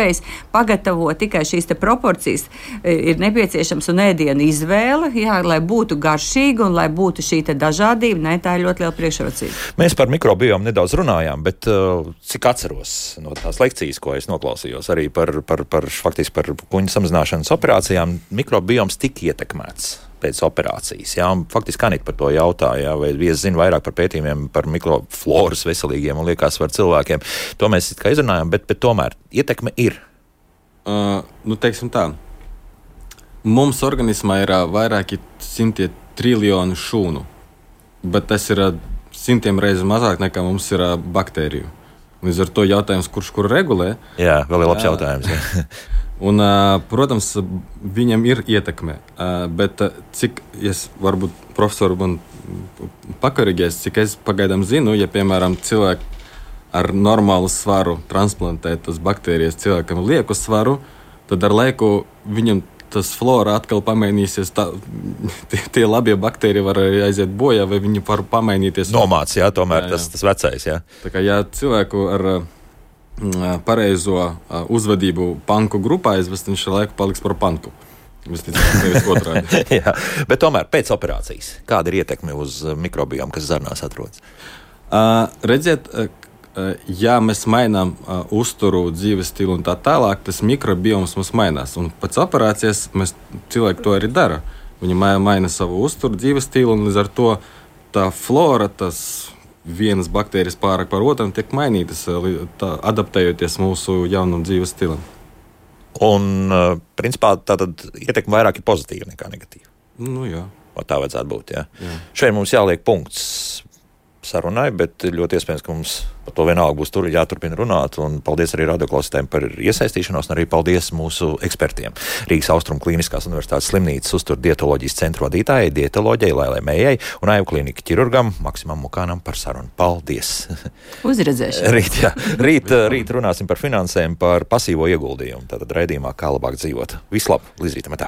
pagatavot tikai šīs te proporcijas, ir nepieciešams un ēdienu izvēle, jā, lai būtu garšīga un lai būtu šī te dažādība, ne, tā ir ļoti liela priekšrocība. Mēs par mikrobiomu nedaudz runājām, bet uh, cik atceros no tās lekcijas, ko es noklausījos arī par, par, par, faktiski par kuņu samazināšanas operācijām, mikrobioms tika ietekmēts pēc operācijas. Jā, un faktiski Anita par to jautāja, vai es zinu vairāk par pētījumiem par mikrofloras veselīgiem un liekas var cilvēkiem. To mēs kā izrunājam, bet, bet tomēr ietekme ir. Uh, nu, teiksim tā. Mums organismā ir uh, vairāki simtie triljoni šūnu, bet tas ir uh, simtiem reizi mazāk nekā mums ir uh, baktēriju. Līdz ar to jautājums, kurš kur regulē. Jā, vēl ir labs jā. Jautājums. Jā. Un, protams, viņam ir ietekme, bet cik es varbūt profesoru man pakorigēs, cik es pagaidām zinu, ja, piemēram, cilvēki ar normālu svaru transplantē tas baktērijas cilvēkam lieku svaru, tad ar laiku viņam tas flora atkal pamainīsies, tā, tie, tie labie baktēriji var aiziet bojā, vai viņi var pamainīties. Nomāc, jā, tomēr jā, jā. Tas, tas vecais, jā. Tā kā, ja cilvēku ar pareizo uzvedību panku grupā aizvest, viņš ar laiku paliks par panku. Jā, bet tomēr pēc operācijas, kāda ir ietekme uz mikrobiomu, kas zarnās atrodas? Uh, redziet, uh, ja mēs mainām uh, uzturu, dzīves stilu un tā tālāk, tas mikrobioms mums mainās. Un pēc operācijas mēs cilvēki to arī dara. Viņi maina savu uzturu, dzīves stilu un līdz ar to tā flora, tas vienas baktērijas pārāk par otram tiek mainītas, tā, adaptējoties mūsu jaunam dzīves stilam. Un, principā, tātad ietekme vairāk ir pozitīva nekā negatīva. Nu, jā. O tā vajadzētu būt, jā. jā. Šeit mums jāliek punkts sarunai, bet ļoti iespējams, ka mums par to vienalga būs tur jāturpina runāt. Un paldies arī radioklausītājiem par iesaistīšanos, un arī paldies mūsu ekspertiem. Rīgas Austrumu Kliniskās universitātes slimnīcas uztur dietoloģijas centru vadītājai, dietoloģijai Lailai Mējai un Aivu kliniku ķirurgam Maksimam Mukānam par sarunu. Paldies! Uzredzēšanu! Rīt, jā. Rīt, rīt runāsim par finansēm, par pasīvo ieguldījumu. Tātad raidījumā Kā labāk dzīvot. Vislab, līdz rītam!